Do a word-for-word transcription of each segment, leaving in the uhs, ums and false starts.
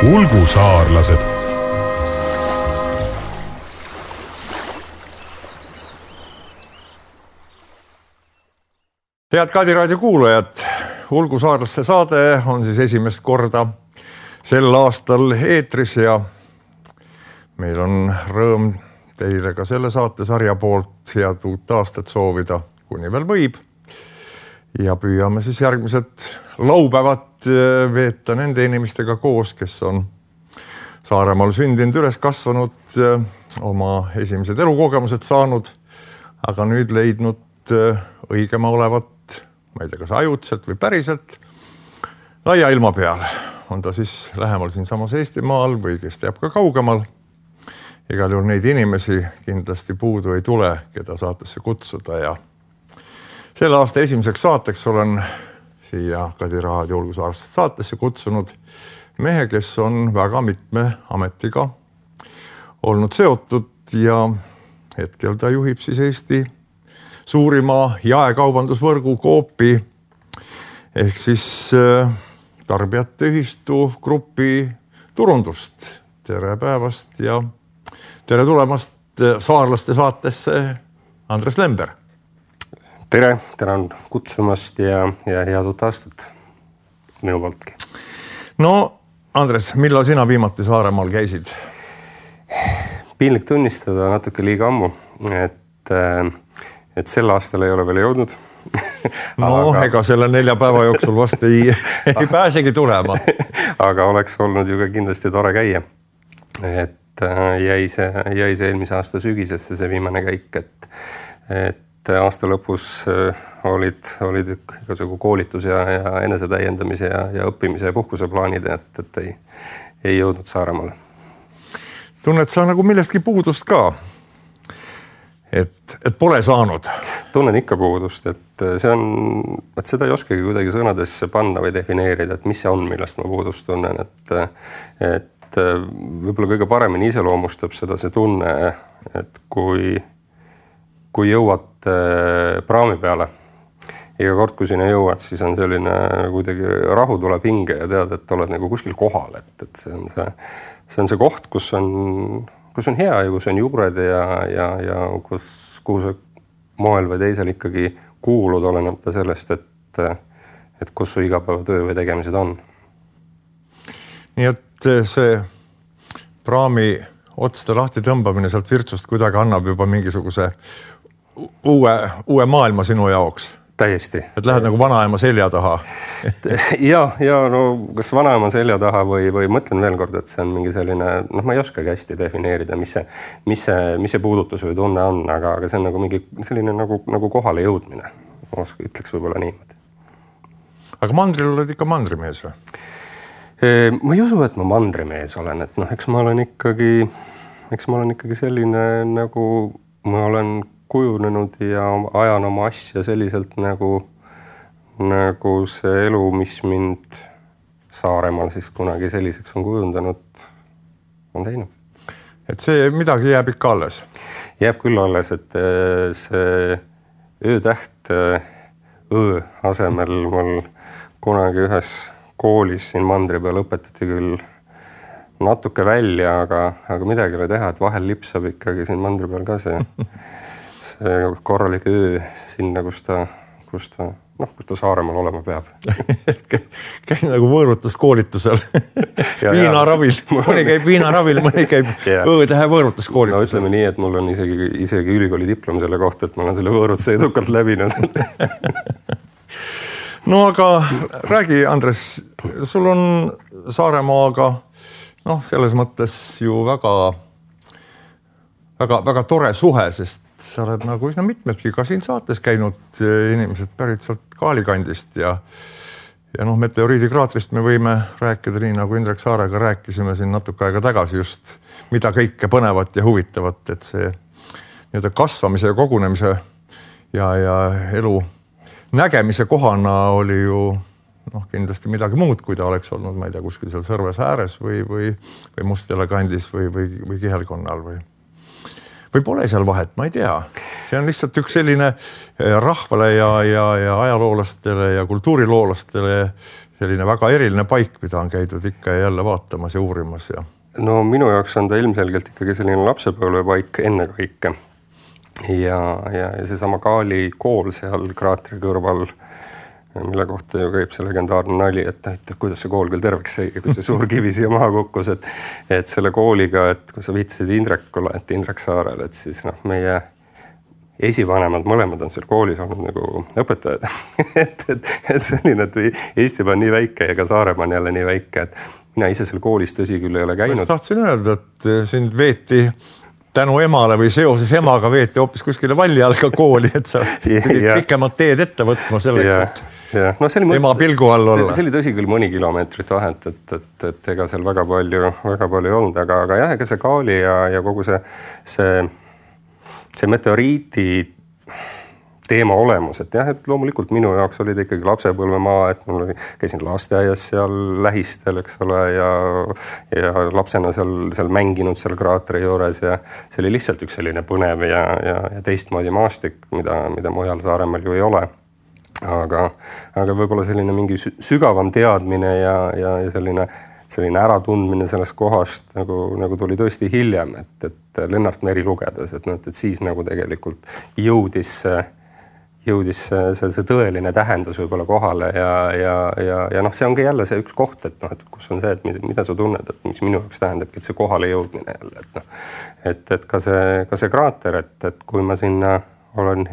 ulgusaarlased. Head Kadi raadio kuulajad, ulgusaarlaste saade on siis esimest korda sel aastal eetris ja meil on rõõm teile ka selle saatesarja poolt head uut aastat soovida, kuni veel võib. Ja püüame siis järgmised laupäevad veeta nende inimestega koos, kes on Saaremaal sündinud, üles kasvanud, oma esimesed elukogemused saanud, aga nüüd leidnud õigema olevat, ma ei tea, kas ajutselt või päriselt, laia ilma peal. On ta siis lähemal siin samas Eestimaal või kes teab ka kaugemal. Igal juhul neid inimesi kindlasti puudu ei tule, keda saatesse kutsuda ja selle aasta esimeseks saateks olen siia Kadi raadio ulgusaarlaste saatesse kutsunud mehe, kes on väga mitme ametiga olnud seotud ja hetkel ta juhib siis Eesti suurima jaekaubandusvõrgu Coopi ehk siis tarbijate ühistu grupi turundust. Tere päevast ja tere tulemast saarlaste saatesse, Andres Lember. Tere, tänan kutsumast ja, ja head uut aastat minu pooltki. No, Andres, millal sina viimati Saaremaal käisid? Piinlik tunnistada natuke liiga ammu, et, et sel aastal ei ole veel jõudnud. No, aga... ega selle nelja päeva jooksul vast ei, ei pääsegi tulema. Aga oleks olnud ju ka kindlasti tore käia. Et jäi see, jäi see eelmise aasta sügisesse see viimane käik, et, et aasta lõpus olid, olid igasugu koolitus ja, ja enesetäiendamise ja, ja õppimise ja puhkuse plaanid, et, et ei, ei jõudnud Saaremaale. Tunned sa nagu millestki puudust ka? Et, et pole saanud? Tunnen ikka puudust, et see on, et seda ei oskagi kuidagi sõnadesse panna või defineerida, et mis see on, millest ma puudust tunnen, et, et võib-olla kõige paremini iseloomustab seda see tunne, et kui, kui jõuad praami peale, iga kord, kui sinna jõuad, siis on selline kuidagi rahu tuleb hinge ja tead, et oled nagu kuskil kohal, et, et see on see, see on see koht, kus on, kus on hea ja kus on juured ja, ja, ja kus, kuhu sa moel või teisel ikkagi kuulud olenemata sellest, et, et kus su igapäevatöö või tegemised on. Nii et see praami otste lahti tõmbamine sealt virtsust kuidagi annab juba mingisuguse uue, uue maailma sinu jaoks. Täiesti. Et lähed nagu vanaema selja taha. ja, ja no kas vanaema selja taha või, või mõtlen veel kord, et see on mingi selline, noh, ma ei oskagi hästi defineerida, mis see, mis see, mis see puudutus või tunne on, aga, aga see on nagu mingi selline nagu, nagu kohale jõudmine. Ma ütleks võib-olla niimoodi. Aga mandril oled ikka mandrimees või? Ma ei usu, et ma mandrimees olen, et noh, eks ma olen ikkagi, eks ma olen ikkagi selline nagu ma olen kujunenud ja ajan oma asja selliselt nagu, nagu see elu, mis mind Saaremaal siis kunagi selliseks on kujundanud, on teinud. Et see midagi jääb ikka alles? Jääb küll alles, et see öötäht öö asemel mul kunagi ühes koolis siin mandri peal õpetati küll natuke välja, aga, aga midagi ei ole teha, et vahel lipsab ikkagi siin mandri peal ka see korralik öö sinna, kus ta, kus ta, noh, kus ta Saaremaal olema peab. Käin nagu võõrutuskoolitusel viinaravil. Mõni käib viinaravil, mõni käib öötähe võõrutuskoolitusel. No ütleme nii, et mul on isegi, isegi ülikooli diplom selle kohta, et ma olen selle võõrutuse edukalt läbinud. No aga räägi, Andres, sul on Saaremaaga noh, selles mõttes ju väga, väga, väga tore suhe, sest sa oled nagu üsna mitmedki ka siin saates käinud inimesed pärit sealt Kaalikandist ja, ja noh, meteoriidikraatrist me võime rääkida nii, nagu Indrek Saarega rääkisime siin natuke aega tagasi just, mida kõike põnevat ja huvitavat, et see nii-öelda kasvamise ja kogunemise ja, ja elu nägemise kohana oli ju noh, kindlasti midagi muud, kui ta oleks olnud, ma ei tea, kuskil seal Sõrves ääres või, või, või Mustjala kandis või, või, või Kihelkonnal või või pole seal vahet, ma ei tea. See on lihtsalt üks selline rahvale ja, ja, ja ajaloolastele ja kultuuriloolastele selline väga eriline paik, mida on käidud ikka ja jälle vaatamas ja uurimas. Ja. No minu jaoks on ta ilmselgelt ikkagi selline lapsepõlvepaik enne kõike. Ja, ja, ja seesama Kaali kool seal kraatri kõrval, mille kohta ju käib see legendaarne nali, et, et kuidas see kool küll terveks sai, kui see suur kivi siia maha kukkus, et, et selle kooliga, et kui sa viitasid Indrekule, et Indrek Saarel, et siis noh, meie esivanemad mõlemad on seal koolis olnud nagu õpetajad. et, et, et selline, et Eestimaa on nii väike ja ka Saaremaa on jälle nii väike, et mina ise seal koolis tõsi küll ei ole käinud. Ma tahtsin öelda, et sind veeti tänu emale või seoses emaga veeti hoopis kuskile Vallialga kooli, et sa pidid pikemad teed ette võtma selleks, ja, et ja. No, see oli, ema pilgu all olla. See, see oli tõsi küll mõni kilomeetrit vahet, et, et, et ega seal väga palju, väga palju ei olnud, aga, aga jah, ega see Kaali ja, ja kogu see, see, see meteoriiti teema olemus, et jah, et loomulikult minu jaoks oli ta ikkagi lapsepõlvemaa, et mul oli, käisin lasteaias seal lähistel, eks ole, ja, ja lapsena seal, seal mänginud seal kraatri juures ja see oli lihtsalt üks selline põnev ja, ja, ja teistmoodi maastik, mida, mida mujal Saaremaal ju ei ole. Aga, aga võib-olla selline mingi sügavam teadmine ja, ja, ja selline, selline äratundmine sellest kohast nagu, nagu tuli tõesti hiljem, et, et Lennart Meri lugedes, et, et siis nagu tegelikult jõudis jõudis see, see, see tõeline tähendus võib-olla kohale ja, ja, ja, ja noh, see ongi jälle see üks koht, et noh, et kus on see, et mida, mida sa tunned, et mis minu jaoks tähendabki, et see kohale jõudmine jälle, et noh, et, et ka see, ka see kraater, et, et kui ma sinna olen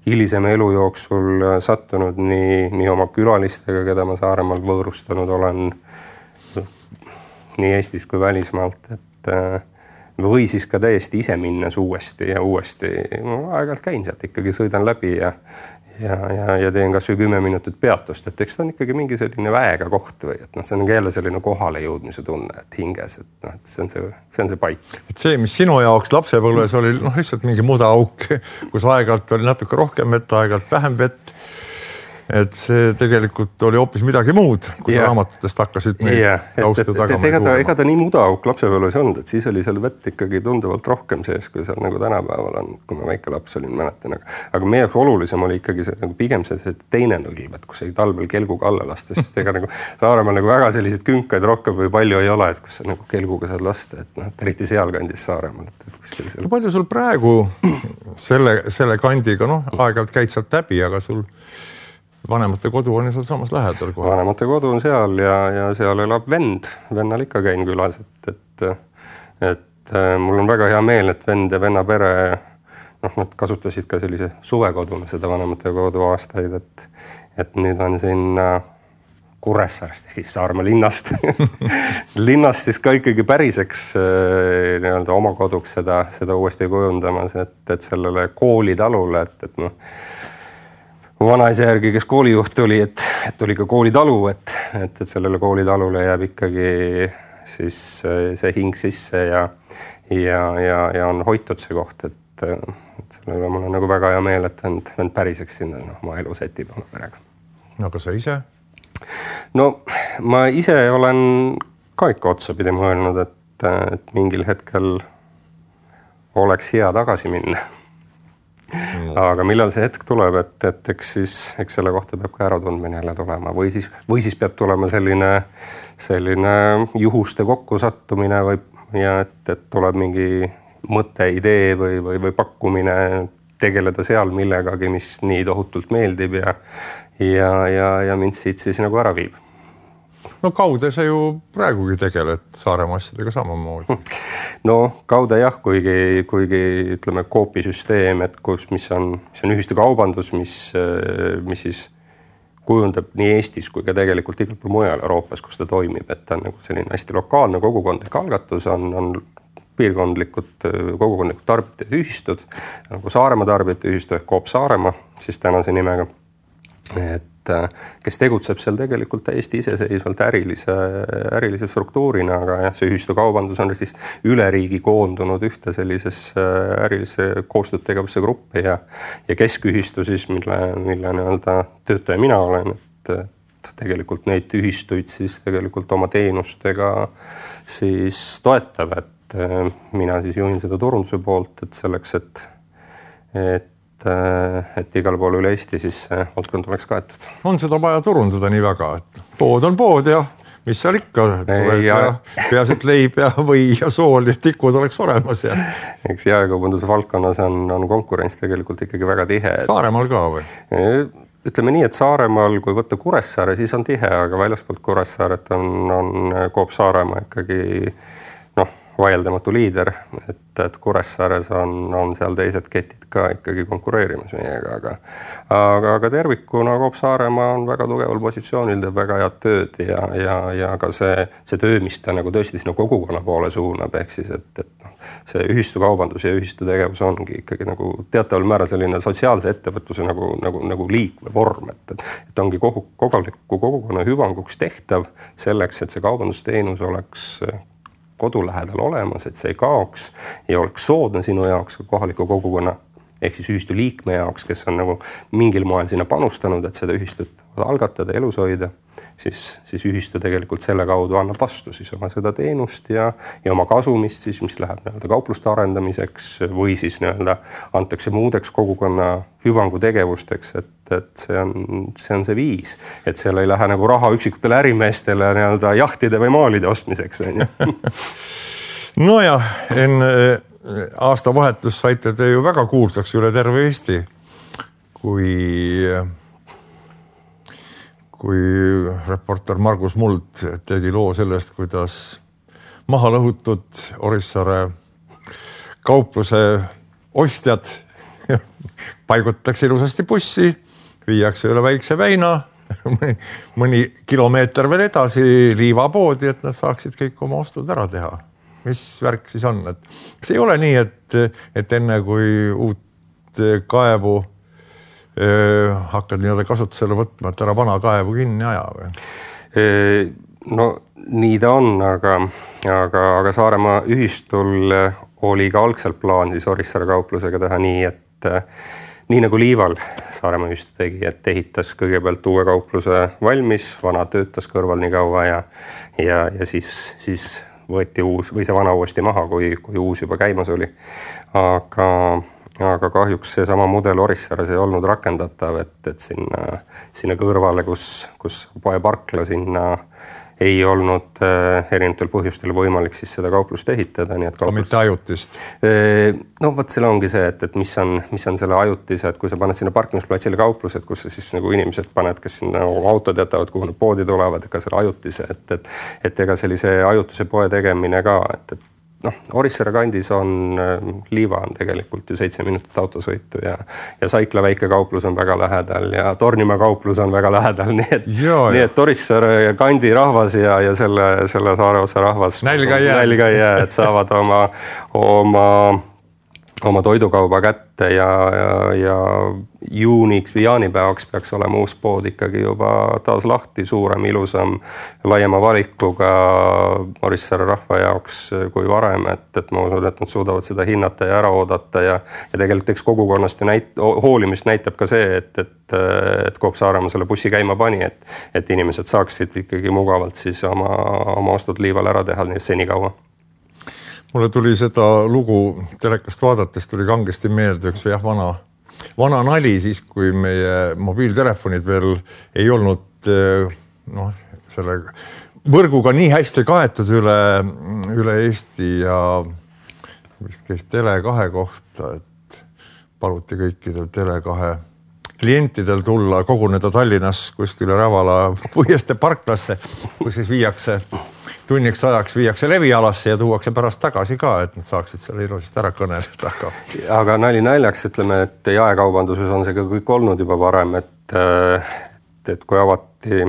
hilisema elu jooksul sattunud nii, nii oma külalistega, keda ma Saaremaal võõrustanud olen nii Eestis kui välismaalt, et või siis ka täiesti ise minnes uuesti ja uuesti. Ma aeg-ajalt käin sealt ikkagi, sõidan läbi ja, ja, ja, ja teen kas või kümme minutit peatust, et eks ta on ikkagi mingi selline väega koht või, et noh, see on jälle selline kohale jõudmise tunne, et hinges, et noh, et see on see, see on see paik. Et see, mis sinu jaoks lapsepõlves oli noh, lihtsalt mingi mudauk, kus aeg-ajalt oli natuke rohkem vett, aeg-ajalt vähem vett. Et see tegelikult oli hoopis midagi muud, kui sa raamatutest hakkasid neid yeah. taustu tagama. Ega ta, ega ta nii mudauk lapsepõlves olnud, et siis oli seal vett ikkagi tunduvalt rohkem sees, kui seal nagu tänapäeval on, kui ma väike laps olin, mäletan. Aga, aga meie jaoks olulisem oli ikkagi see, nagu pigem see, see teine nõlv, et kus ei talvel kelguga alla lasta, sest ega nagu Saaremaal nagu väga selliseid künkaid rohkem või palju ei ole, et kus sa nagu kelguga saad lasta, et noh, eriti sealkandis Saaremaal. Et, et seal... no, palju sul praegu selle, selle kandiga, noh, aeg-ajalt käid sealt läbi, aga sul vanemate kodu on ju sul samas lähedal kohe. Vanemate kodu on seal ja, ja seal elab vend. Vennal ikka käin külas, et, et, et mul on väga hea meel, et vend ja venna pere, noh, nad kasutasid ka sellise suvekoduna seda vanemate kodu aastaid, et, et nüüd on siin Kuressaarest, siis Saarmaa linnast. linnast siis ka ikkagi päriseks nii-öelda oma koduks seda, seda uuesti kujundamas, et, et sellele koolitalule, et, et noh, vanaisa järgi, kes koolijuht oli, et, et tuli ka koolitalu, et, et, et sellele koolitalule jääb ikkagi siis see hing sisse ja, ja, ja, ja on hoitud see koht, et, et sellele mul on nagu väga hea meel, et vend, vend päriseks sinna no, oma elu setib oma perega. No aga sa ise? No ma ise olen ka ikka otsapidi mõelnud, et, et mingil hetkel oleks hea tagasi minna. Aga millal see hetk tuleb, et, et eks siis eks selle kohta peab ka äratundmine jälle tulema või siis, või siis peab tulema selline, selline juhuste kokkusattumine või, ja et, et tuleb mingi mõte, idee või, või, või pakkumine tegeleda seal millegagi, mis nii tohutult meeldib ja, ja, ja, ja mind siit siis nagu ära viib. No kaude sa ju praegugi tegeled Saaremaa asjadega samamoodi. No kaude jah, kuigi, kuigi ütleme koopisüsteem, et kus, mis on, mis on ühistu kaubandus, mis, mis siis kujundab nii Eestis kui ka tegelikult igal pool mujal Euroopas, kus ta toimib, et ta on nagu selline hästi lokaalne kogukondlik algatus, on, on piirkondlikud kogukondlikud tarbijate ühistud, nagu Saaremaa tarbijate ühistu ehk Coop Saaremaa, siis tänase nimega, et kes tegutseb seal tegelikult täiesti iseseisvalt ärilise, ärilise struktuurina, aga jah, see ühistu kaubandus on siis üle riigi koondunud ühte sellisesse ärilise koostööd tegevusse gruppi ja, ja keskühistu siis, mille, mille nii-öelda töötaja mina olen, et, et tegelikult neid ühistuid siis tegelikult oma teenustega siis toetab, et mina siis juhin seda turunduse poolt, et selleks, et, et, et igal pool üle Eesti siis valdkond oleks kaetud. On seda vaja turundada nii väga, et pood on pood ja mis seal ikka tuleb ja, ja peaasi, et leib ja või ja sool ja tikud oleks olemas. Ja. Eks jaekaubanduse valdkonnas on, on konkurents tegelikult ikkagi väga tihe. Saaremaal ka või? Ütleme nii, et Saaremaal, kui võtta Kuressaare, siis on tihe, aga väljaspoolt Kuressaaret on, on Coop Saaremaa ikkagi noh, vaieldamatu liider, et, et Kuressaares on, on seal teised ketid ka ikkagi konkureerimas meiega, aga, aga, aga tervikuna Coop Saaremaa on väga tugeval positsioonil, teeb väga head tööd ja, ja, ja ka see, see töö, mis ta nagu tõesti sinna kogukonna poole suunab, ehk siis, et, et noh, see ühistukaubandus ja ühistutegevus ongi ikkagi nagu teataval määral selline sotsiaalse ettevõtluse nagu, nagu, nagu liik või vorm, et, et, et ongi kogu, kohaliku kogukonna hüvanguks tehtav selleks, et see kaubandusteenus oleks kodu lähedal olemas, et see ei kaoks ja oleks soodne sinu jaoks ka kohaliku kogukonna ehk siis ühistu liikme jaoks, kes on nagu mingil moel sinna panustanud, et seda ühistut algatada, elus hoida, siis, siis ühistu tegelikult selle kaudu annab vastu siis oma seda teenust ja, ja oma kasumist siis, mis läheb nii-öelda kaupluste arendamiseks või siis nii-öelda antakse muudeks kogukonna hüvangu tegevusteks, et, et see on, see on see viis, et seal ei lähe nagu raha üksikutele ärimeestele nii-öelda jahtide või maalide ostmiseks. No ja enne aasta vahetus saite te ju väga kuulsaks üle terve Eesti, kui kui reporter Margus Muld tegi loo sellest, kuidas maha lõhutud Orissaare kaupluse ostjad paigutatakse ilusasti bussi, viiakse üle Väikse väina, mõni kilomeeter veel edasi liivapoodi, et nad saaksid kõik oma ostud ära teha. Mis värk siis on? Et kas ei ole nii, et, et enne kui uut kaevu hakkad nii-öelda kasutusele võtma, et ära vana kaevu kinni aja või? No nii ta on, aga, aga, aga Saaremaa ühistul oli ka algselt plaan siis Orissaare kauplusega teha nii, et nii nagu Liival Saaremaa ühistu tegi, et ehitas kõigepealt uue kaupluse valmis, vana töötas kõrval nii kaua ja, ja, ja siis, siis võeti uus või see vana uuesti maha, kui, kui uus juba käimas oli. Aga aga kahjuks see sama mudel Orissaares ei olnud rakendatav, et, et sinna, sinna kõrvale, kus, kus poe parkla sinna ei olnud äh, erinevatel põhjustel võimalik siis seda kauplust ehitada. Nii et kauplust, mitte ajutist? No võt, selle ongi see, et, et mis, on, mis on selle ajutise, et kui sa paned sinna parkimisplatsile kauplused, kus sa siis nagu inimesed paned, kes sinna autod jätavad, kuhu need poodi tulevad, ka selle ajutise, et, et, et ega sellise ajutise poe tegemine ka, et, et noh, Orissaare kandis on, Liiva on tegelikult ju seitse minutit autosõitu ja, ja Saikla väike kauplus on väga lähedal ja Tornimaa kauplus on väga lähedal, nii et, nii et Orissaare kandi rahvas ja, ja selle, selle saare osa rahvas nälga ei jää, nälga ei jää, et saavad oma, oma, oma toidukauba kätte ja, ja, ja juuniks või jaanipäevaks peaks olema uus pood ikkagi juba taas lahti, suurem, ilusam, laiema valikuga Orissaare rahva jaoks kui varem, et, et ma usun, et nad suudavad seda hinnata ja ära oodata ja, ja tegelikult eks kogukonnast ja näit, hoolimist näitab ka see, et, et, et Coop Saaremaa selle bussi käima pani, et, et inimesed saaksid ikkagi mugavalt siis oma, oma ostud Liival ära teha senikaua. Mulle tuli seda lugu telekast vaadates, tuli kangesti meelde üks jah, vana, vana nali siis, kui meie mobiiltelefonid veel ei olnud noh, selle võrguga nii hästi kaetud üle, üle Eesti ja vist käis Tele kahe kohta, et paluti kõikidel Tele kahe klientidel tulla, koguneda Tallinnas kuskile Rävala Puiestee parklasse, kus siis viiakse tunniks ajaks viiakse levialasse ja tuuakse pärast tagasi ka, et nad saaksid selle ilusasti ära kõneleda. Aga, aga nali naljaks, ütleme, et jaekaubanduses on see ka kõik olnud juba varem, et, et kui avati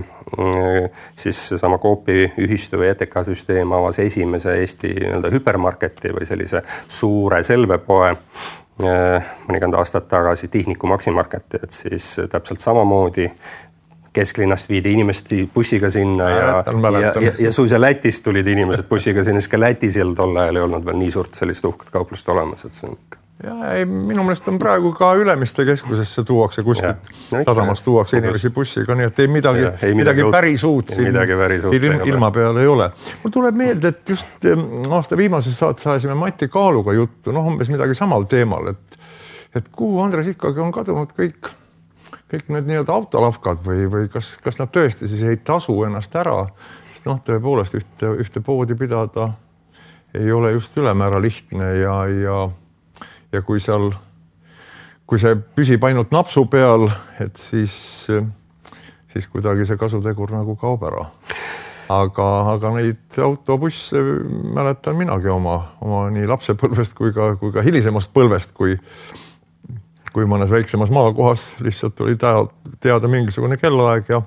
siis sama Coopi ühistu või E T K süsteem avas esimese Eesti nii-öelda hüpermarketi või sellise suure selvepoe mõnikümmend aastat tagasi Tihniku Maximarketi, et siis täpselt samamoodi kesklinnast viidi inimesed bussiga sinna ja, ja, ja, ja, ja suisa Lätist tulid inimesed bussiga sinna, siis ka Lätis ei olnud tol ajal ei olnud veel nii suurt sellist uhket kauplust olemas, et see on Ja ei, minu meelest on praegu ka Ülemiste keskusesse tuuakse kuskilt, no, sadamast tuuakse inimesi bussiga, nii et ei midagi, ja, ei midagi, midagi päris uut siin, siin ilma, ilma peal ei ole. Mul tuleb meelde, et just aasta viimases saates saasime Mati Kaaluga juttu, noh umbes midagi samal teemal, et, et kuhu Andres ikkagi on kadunud kõik, kõik need nii-öelda autolavkad või, või kas, kas nad tõesti siis ei tasu ennast ära, sest noh, tõepoolest ühte, ühte poodi pidada ei ole just ülemäära lihtne ja, ja ja kui seal, kui see püsib ainult napsu peal, et siis, siis kuidagi see kasutegur nagu kaob ära. Aga, aga neid autobusse mäletan minagi oma, oma nii lapsepõlvest kui ka, kui ka hilisemast põlvest, kui, kui mõnes väiksemas maakohas lihtsalt oli teada mingisugune kellaaeg ja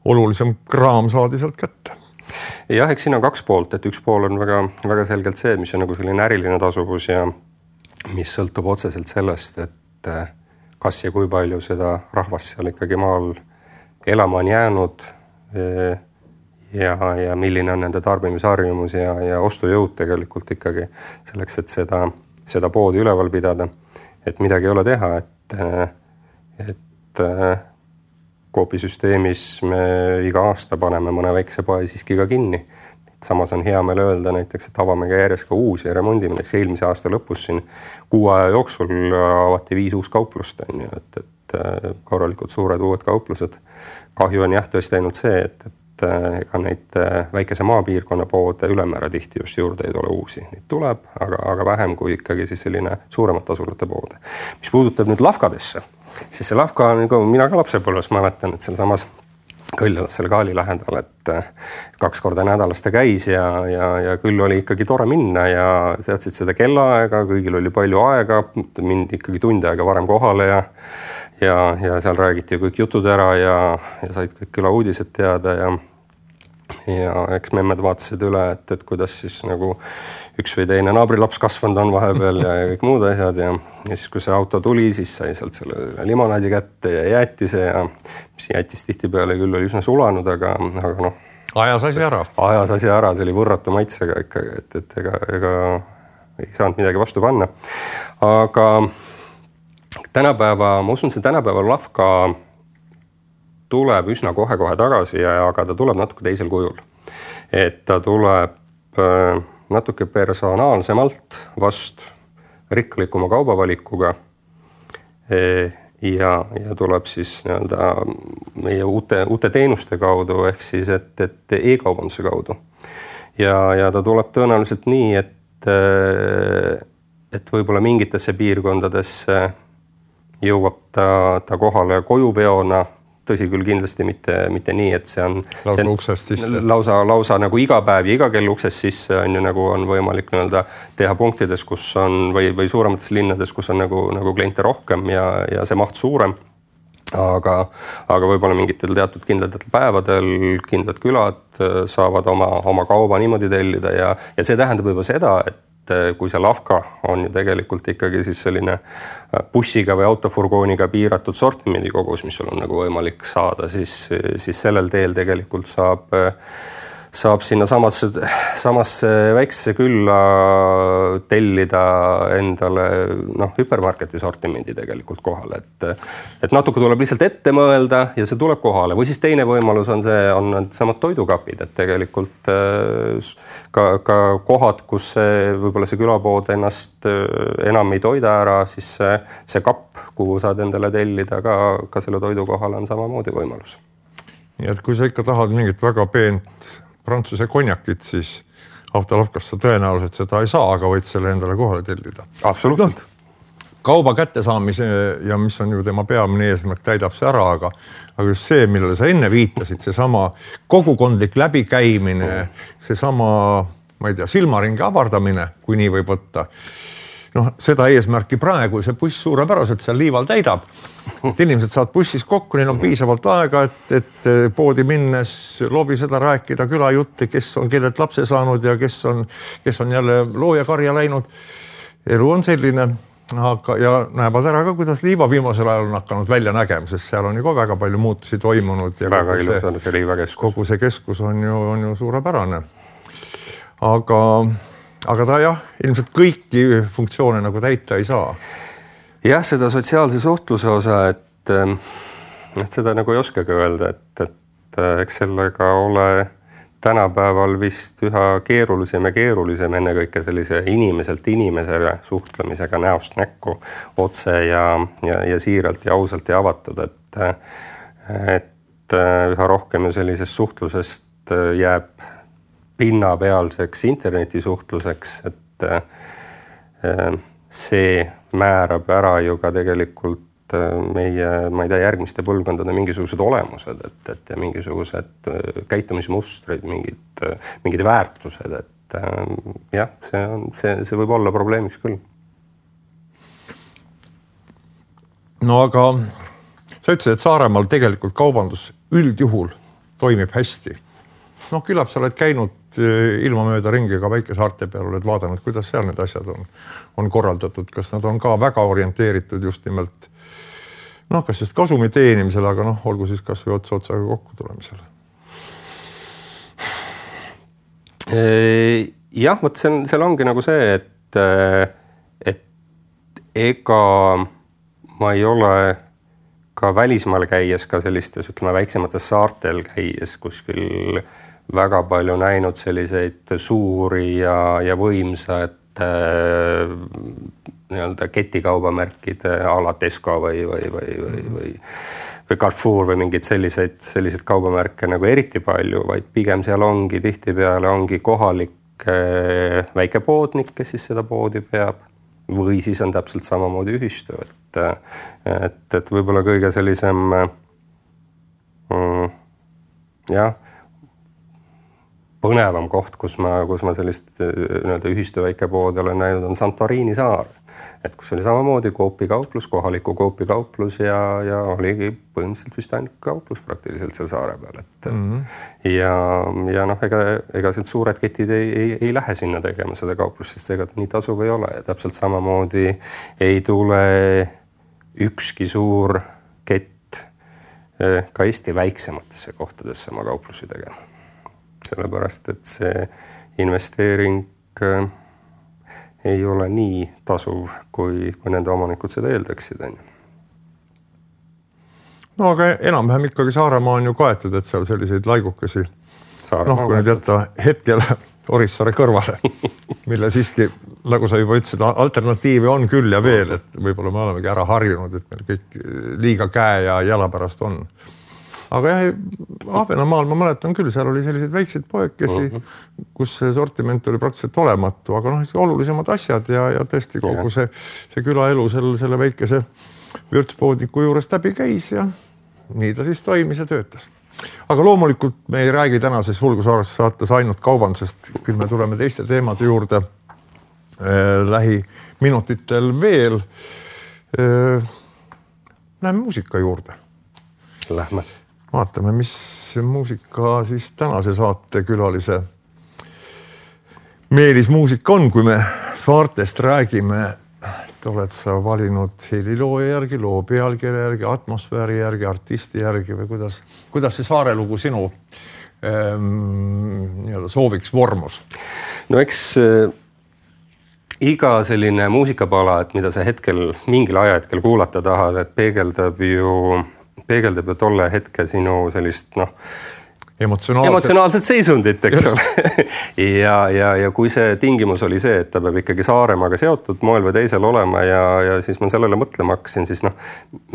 olulisem kraam saadi sealt kätte. Jah, eks siin on kaks poolt, et üks pool on väga, väga selgelt see, mis on nagu selline äriline tasuvus ja mis sõltub otseselt sellest, et kas ja kui palju seda rahvast seal ikkagi maal elama on jäänud ja, ja milline on nende tarbimisharjumus ja, ja ostujõud tegelikult ikkagi selleks, et seda, seda poodi üleval pidada, et midagi ei ole teha, et, et koopisüsteemis me iga aasta paneme mõne väikse poe siiski ka kinni. Samas on hea meil öelda näiteks, et avame ka järjest ka uusi ja remondime. Näiteks eelmise aasta lõpus siin kuu aja jooksul avati viis uus kauplust, et, et korralikult suured uued kauplused. Kahju on jah tõesti ainult see, et, et ega neid väikese maapiirkonna poode ülemäära tihti just juurde ei tule uusi. Neid tuleb, aga, aga vähem kui ikkagi siis selline suuremat tasulate poode. Mis puudutab nüüd lavkadesse, siis see lavka on, nagu mina ka lapsepõlves mäletan, et seal samas Kõljalas selle Kaali lähedal, et kaks korda nädalas ta käis ja, ja, ja küll oli ikkagi tore minna ja teadsid seda kellaaega, kõigil oli palju aega, mind ikkagi tund aega varem kohale ja, ja, ja seal räägiti kõik jutud ära ja, ja said kõik küla uudised teada ja, ja eks memmed vaatasid üle, et, et kuidas siis nagu üks või teine naabrilaps kasvanud on vahepeal ja kõik muud asjad ja, ja siis kui see auto tuli, siis sai sealt selle limonaadi kätte ja jäätise ja mis jäätis tihtipeale küll oli üsna sulanud, aga, aga noh. Ajas asi ära. Ajas asi ära, see oli võrratu maitsega ikkagi, et, et ega, ega ei saanud midagi vastu panna. Aga tänapäeva, ma usun, see tänapäeva lavka tuleb üsna kohe-kohe tagasi, ja, aga ta tuleb natuke teisel kujul. Et ta tuleb äh, natuke personaalsemalt vast rikkalikuma kaubavalikuga e, ja, ja tuleb siis nii-öelda meie uute, uute teenuste kaudu ehk siis, et, et e-kaubanduse kaudu. Ja, ja ta tuleb tõenäoliselt nii, et, et võib-olla mingitesse piirkondadesse jõuab ta, ta kohale kojuveona, tõsi küll kindlasti mitte, mitte nii, et see on lausa see on uksest sisse. Lausa, lausa nagu iga päev ja iga kell uksest sisse on ju nagu on võimalik nii-öelda teha punktides, kus on või, või suuremates linnades, kus on nagu, nagu kliente rohkem ja, ja see maht suurem. Aga, aga võib-olla mingitel teatud kindlatel päevadel kindlad külad saavad oma, oma kauba niimoodi tellida ja, ja see tähendab juba seda, et kui see lavka on ju tegelikult ikkagi siis selline bussiga või autofurgooniga piiratud sortimendi kogus, mis sul on nagu võimalik saada, siis, siis sellel teel tegelikult saab, saab sinna samasse, samasse väiksesse külla tellida endale noh, hüpermarketi sortimendi tegelikult kohale. Et, et natuke tuleb lihtsalt ette mõelda ja see tuleb kohale. Või siis teine võimalus on see, on samad toidukapid, et tegelikult ka, ka kohad, kus see, võib-olla see külapood ennast enam ei toida ära, siis see, see kapp, kuhu saad endale tellida, ka, ka selle toidu kohale on samamoodi võimalus. Nii et kui sa ikka tahad mingit väga peent Prantsuse konjakit, siis autolavkast sa tõenäoliselt seda ei saa, aga võid selle endale kohale tellida. Absoluutselt. No, kauba kättesaamise ja mis on ju tema peamine eesmärk, täidab see ära, aga, aga just see, millele sa enne viitasid, see sama kogukondlik läbikäimine, see sama, ma ei tea, silmaringi avardamine, kui nii võib võtta. Noh, seda eesmärki praegu see buss suurepäraselt seal liival täidab. Et inimesed saad bussis kokku, neil on piisavalt aega, et, et poodi minnes lobi seda rääkida külajutte, kes on kellelt lapse saanud ja kes on, kes on jälle loojakarja läinud. Elu on selline, aga, ja näevad ära ka, kuidas liiva viimasel ajal on hakanud välja nägema, sest seal on ju ka väga palju muutusi toimunud. Ja väga ilus on see liivakeskus. Kogu see keskus on ju, on ju suurepärane. Aga aga ta jah, ilmselt kõiki funktsioone nagu täita ei saa. Jah, seda sotsiaalse suhtluse osa, et, et seda nagu ei oskagi öelda, et, et eks sellega ole tänapäeval vist üha keerulisem ja keerulisem ennekõike sellise inimeselt inimesele suhtlemisega näost näkku otse ja, ja, ja siiralt ja ausalt ja avatud, et, et üha rohkem sellisest suhtlusest jääb pinnapealseks internetisuhtluseks, et see määrab ära ju ka tegelikult meie, ma ei tea, järgmiste põlvkondade mingisugused olemused, et, et ja mingisugused käitumismustrid, mingid, mingid väärtused, et jah, see on, see, see võib olla probleemiks küll. No aga sa ütlesid, et Saaremaal tegelikult kaubandus üldjuhul toimib hästi. Noh, küllap sa oled käinud ilma mööda ringi ka Väike-Saarte peal, oled vaadanud, kuidas seal need asjad on, on korraldatud, kas nad on ka väga orienteeritud just nimelt noh, kas just kasumi teenimisele, aga noh, olgu siis kas või ots otsaga kokku tulemisele. Jah, võt see, seal ongi nagu see, et, et ega ma ei ole ka välismaal käies, ka sellistes, ütleme, väiksemates saartel käies kuskil väga palju näinud selliseid suuri ja, ja võimsad nii-öelda ketikaubamärkide ala Tesco või, või, või, või, või, või Carrefour või mingid selliseid, selliseid kaubamärke nagu eriti palju, vaid pigem seal ongi tihtipeale ongi kohalik väikepoodnik, kes siis seda poodi peab või siis on täpselt samamoodi ühistu, et, et, et võib-olla kõige sellisem mm, jah, põnevam koht, kus ma, kus ma sellist nii-öelda ühistu väikepoodi olen näinud, on Santorini saar. Et kus oli samamoodi koopikauplus, kohaliku koopikauplus ja, ja oligi põhimõtteliselt vist ainult kauplus praktiliselt seal saare peal. Et, mm-hmm. Ja, ja noh, ega, ega suured ketid ei, ei, ei lähe sinna tegema seda kauplust, sest ega nii tasuv ei ole. Ja täpselt samamoodi ei tule ükski suur kett ka Eesti väiksematesse kohtadesse oma kauplusi tegema. Sellepärast, et see investeering ei ole nii tasuv, kui, kui nende omanikud seda eeldaksid. No aga enam-vähem ikkagi Saaremaa on ju kaetud, et seal selliseid laigukesi, noh, kui nüüd jätta hetkel Orissaare kõrvale, mille siiski, nagu sa juba ütlesid, alternatiivi on küll ja veel, et võib-olla me olemegi ära harjunud, et meil kõik liiga käe ja jala pärast on. Aga jah, Ahvenamaal ma mäletan küll, seal oli selliseid väikseid poekesi, uh-huh. kus see sortiment oli praktiliselt olematu, aga noh, olulisemad asjad ja, ja tõesti kogu see, see külaelu selle, selle väikese vürtspoodniku juures läbi käis ja nii ta siis toimis ja töötas. Aga loomulikult me ei räägi tänases Vulgusaaresse saates ainult kaubandusest, küll me tuleme teiste teemade juurde äh, lähiminutitel veel. Äh, läheme muusika juurde. Lähme. Vaatame, mis muusika siis tänase saate külalise Meelis muusika on, kui me saartest räägime. Et oled sa valinud heliloo järgi, loo pealkirja järgi, atmosfääri järgi, artisti järgi või kuidas, kuidas see saarelugu sinu ähm, nii-öelda sooviks vormus? No eks äh, iga selline muusikapala, et mida sa hetkel mingil ajahetkel kuulata tahad, et peegeldab ju peegeldab ju tolle hetke sinu sellist, noh, emotsionaalset, emotsionaalset seisundit, eks ole. ja, ja, ja kui see tingimus oli see, et ta peab ikkagi Saaremaaga seotud moel või teisel olema ja, ja siis ma sellele mõtlema hakkasin, siis noh,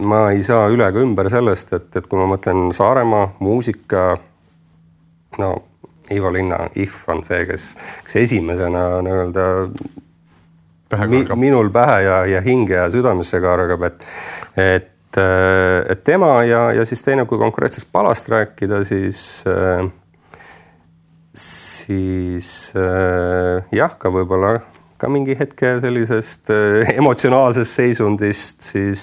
ma ei saa üle ka ümber sellest, et, et kui ma mõtlen Saaremaa, muusika, no Ivo Linna, If on see, kes, kes esimesena nii-öelda mi, minul pähe ja, ja hinge ja südamesse kargab, et, et et tema ja, ja siis teine, kui konkreetsest palast rääkida, siis, siis jah, ka võib-olla ka mingi hetke sellisest emotsionaalsest seisundist siis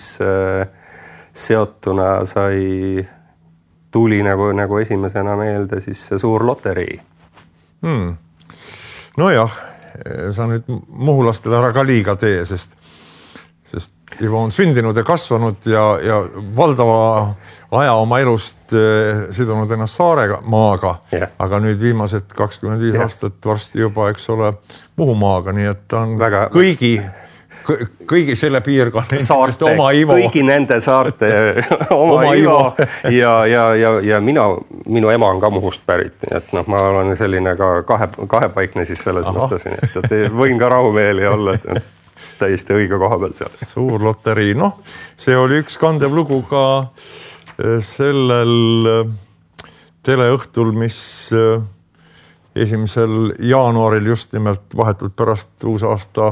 seotuna sai, tuli nagu, nagu esimesena meelde siis see suur loterii. Hmm. No jah, sa nüüd muhulastele ära ka liiga tee, sest, sest Ivo on sündinud ja kasvanud ja, ja valdava aja oma elust eh, sidunud ennast Saarega maaga, yeah. aga nüüd viimased kakskümmend viis yeah. aastat varsti juba, eks ole, Muhumaaga, nii et ta on Väga... kõigi, kõigi selle piirkonna saarte, oma Ivo. Kõigi nende saarte oma, oma Ivo ja, ja, ja, ja mina, minu ema on ka Muhust pärit, nii et noh, ma olen selline ka kahe, kahepaikne siis selles Aha. mõttes, nii et, et võin ka rahumeeli olla, et täiesti õige koha peal seal. Suur loterii, noh, see oli üks kandev lugu ka sellel teleõhtul, mis esimesel jaanuaril just nimelt vahetult pärast uusaasta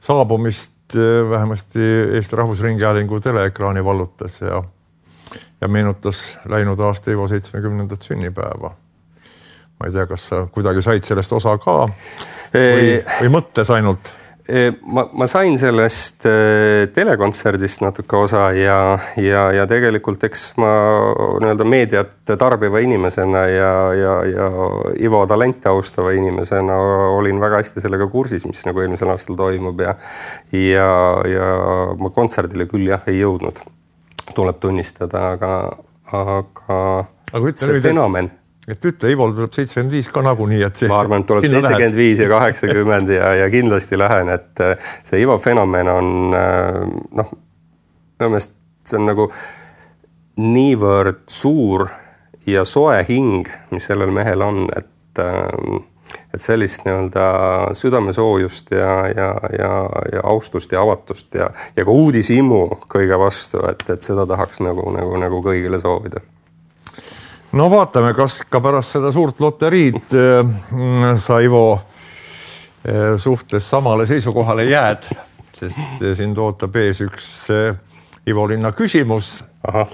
saabumist vähemasti Eesti Rahvusringhäälingu teleekraani vallutas ja, ja meenutas läinud aasta Ivo seitsmekümnendat sünnipäeva. Ma ei tea, kas sa kuidagi said sellest osa ka või, või mõttes ainult? Ma, ma sain sellest telekontserdist natuke osa ja, ja, ja tegelikult eks ma nii-öelda meediat tarbiva inimesena ja, ja, ja Ivo talente austava inimesena olin väga hästi sellega kursis, mis nagu eelmisel aastal toimub ja, ja, ja ma kontserdile küll jah ei jõudnud, tuleb tunnistada, aga, aga, aga see nüüd, fenomen et ütle, Ivol tuleb seitsekümmend viis ka nagunii, et see, ma arvan, et tuleb seitsekümmend viis ja kaheksakümmend ja, ja kindlasti lähen, et see Ivo fenomen on noh, minu meelest see on nagu niivõrd suur ja soe hing, mis sellel mehel on, et, et sellist nii-öelda südamesoojust ja, ja, ja, ja austust ja avatust ja, ja ka uudishimu kõige vastu, et, et seda tahaks nagu, nagu, nagu kõigile soovida. No vaatame, kas ka pärast seda suurt loteriid äh, sa Ivo äh, suhtes samale seisukohale jääd, sest äh, sind ootab ees üks äh, Ivo Linna küsimus. Aha.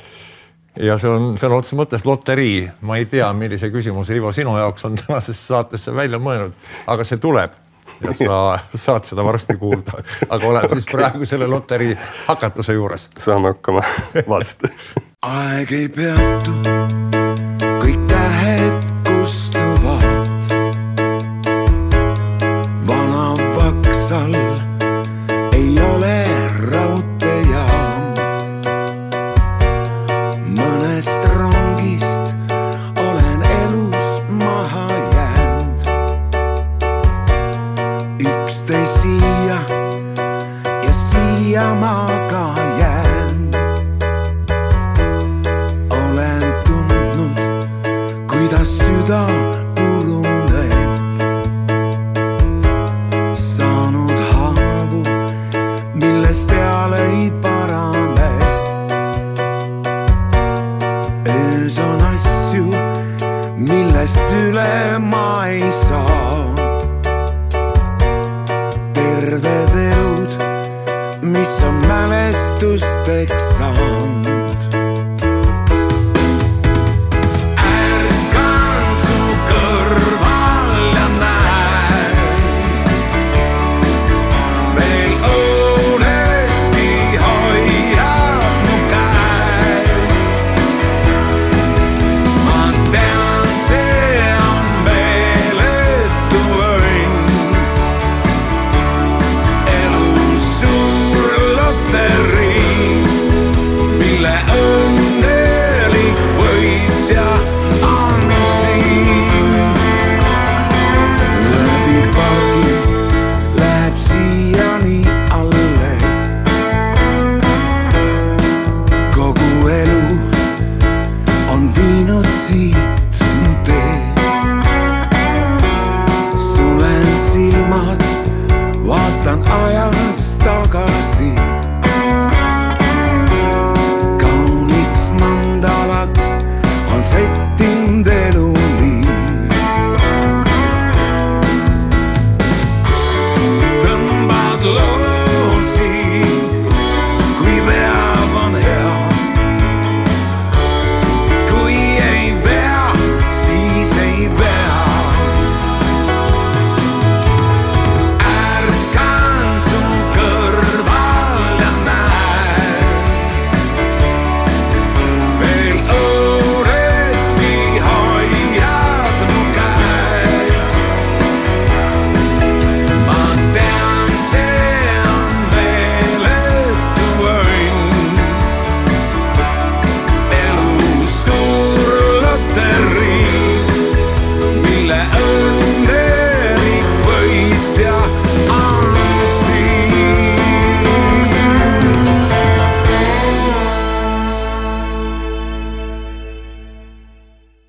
Ja see on, see on otse mõttes loterii. Ma ei tea, millise küsimuse Ivo sinu jaoks on tänasesse saatesse välja mõelnud, aga see tuleb ja sa saad seda varsti kuulda. Aga oleme siis praegu selle loterii hakatuse juures. Saame hakkama vastu. Aeg ei peatu. Kõik tähed kustuvad, vana Vaksal ei ole raudteejaam. Mõnest rongist olen elus maha jäänud. Üksteist siia ja siia ma ka jään. Süda puruneb, saanud haavu, millest eal ei parane. Öös on asju, millest üle ma ei saa. Terved elud, mis on mälestusteks saanud. Mille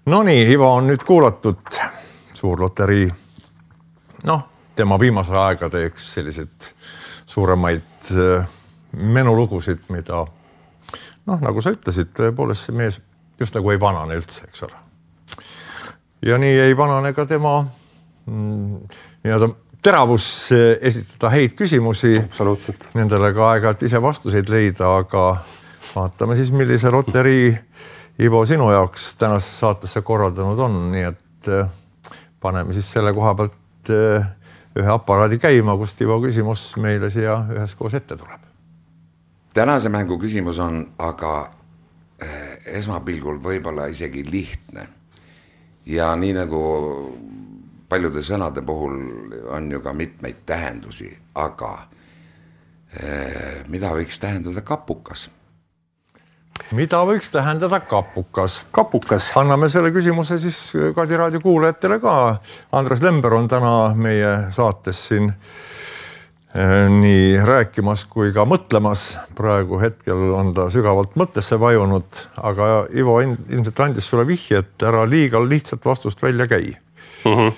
No nii, Ivo on nüüd kuulatud suurloterii, noh, tema viimase aega teeks sellised suuremaid menulugusid, mida noh, nagu sa ütlesid, tõepoolest see mees just nagu ei vanane üldse, eks ole. Ja nii ei vanane ka tema mm, nii-öelda teravus esitada häid küsimusi. Absoluutselt. Nendele ka aega, et ise vastuseid leida, aga vaatame siis, millise loterii Ivo sinu jaoks tänase saatesse korraldanud on, nii et paneme siis selle koha pealt ühe aparaadi käima, kust Ivo küsimus meile siia üheskoos ette tuleb. Tänase mängu küsimus on aga esmapilgul võib-olla isegi lihtne. Ja nii nagu paljude sõnade puhul on ju ka mitmeid tähendusi, aga mida võiks tähendada kapukas? Mida võiks tähendada kapukas? Kapukas. Anname selle küsimuse siis Kadi raadio kuulajatele ka. Andres Lember on täna meie saates siin nii rääkimas kui ka mõtlemas. Praegu hetkel on ta sügavalt mõttesse vajunud, aga Ivo ilmselt andis sulle vihje, et ära liiga lihtsalt vastust välja käi. Mm-hmm.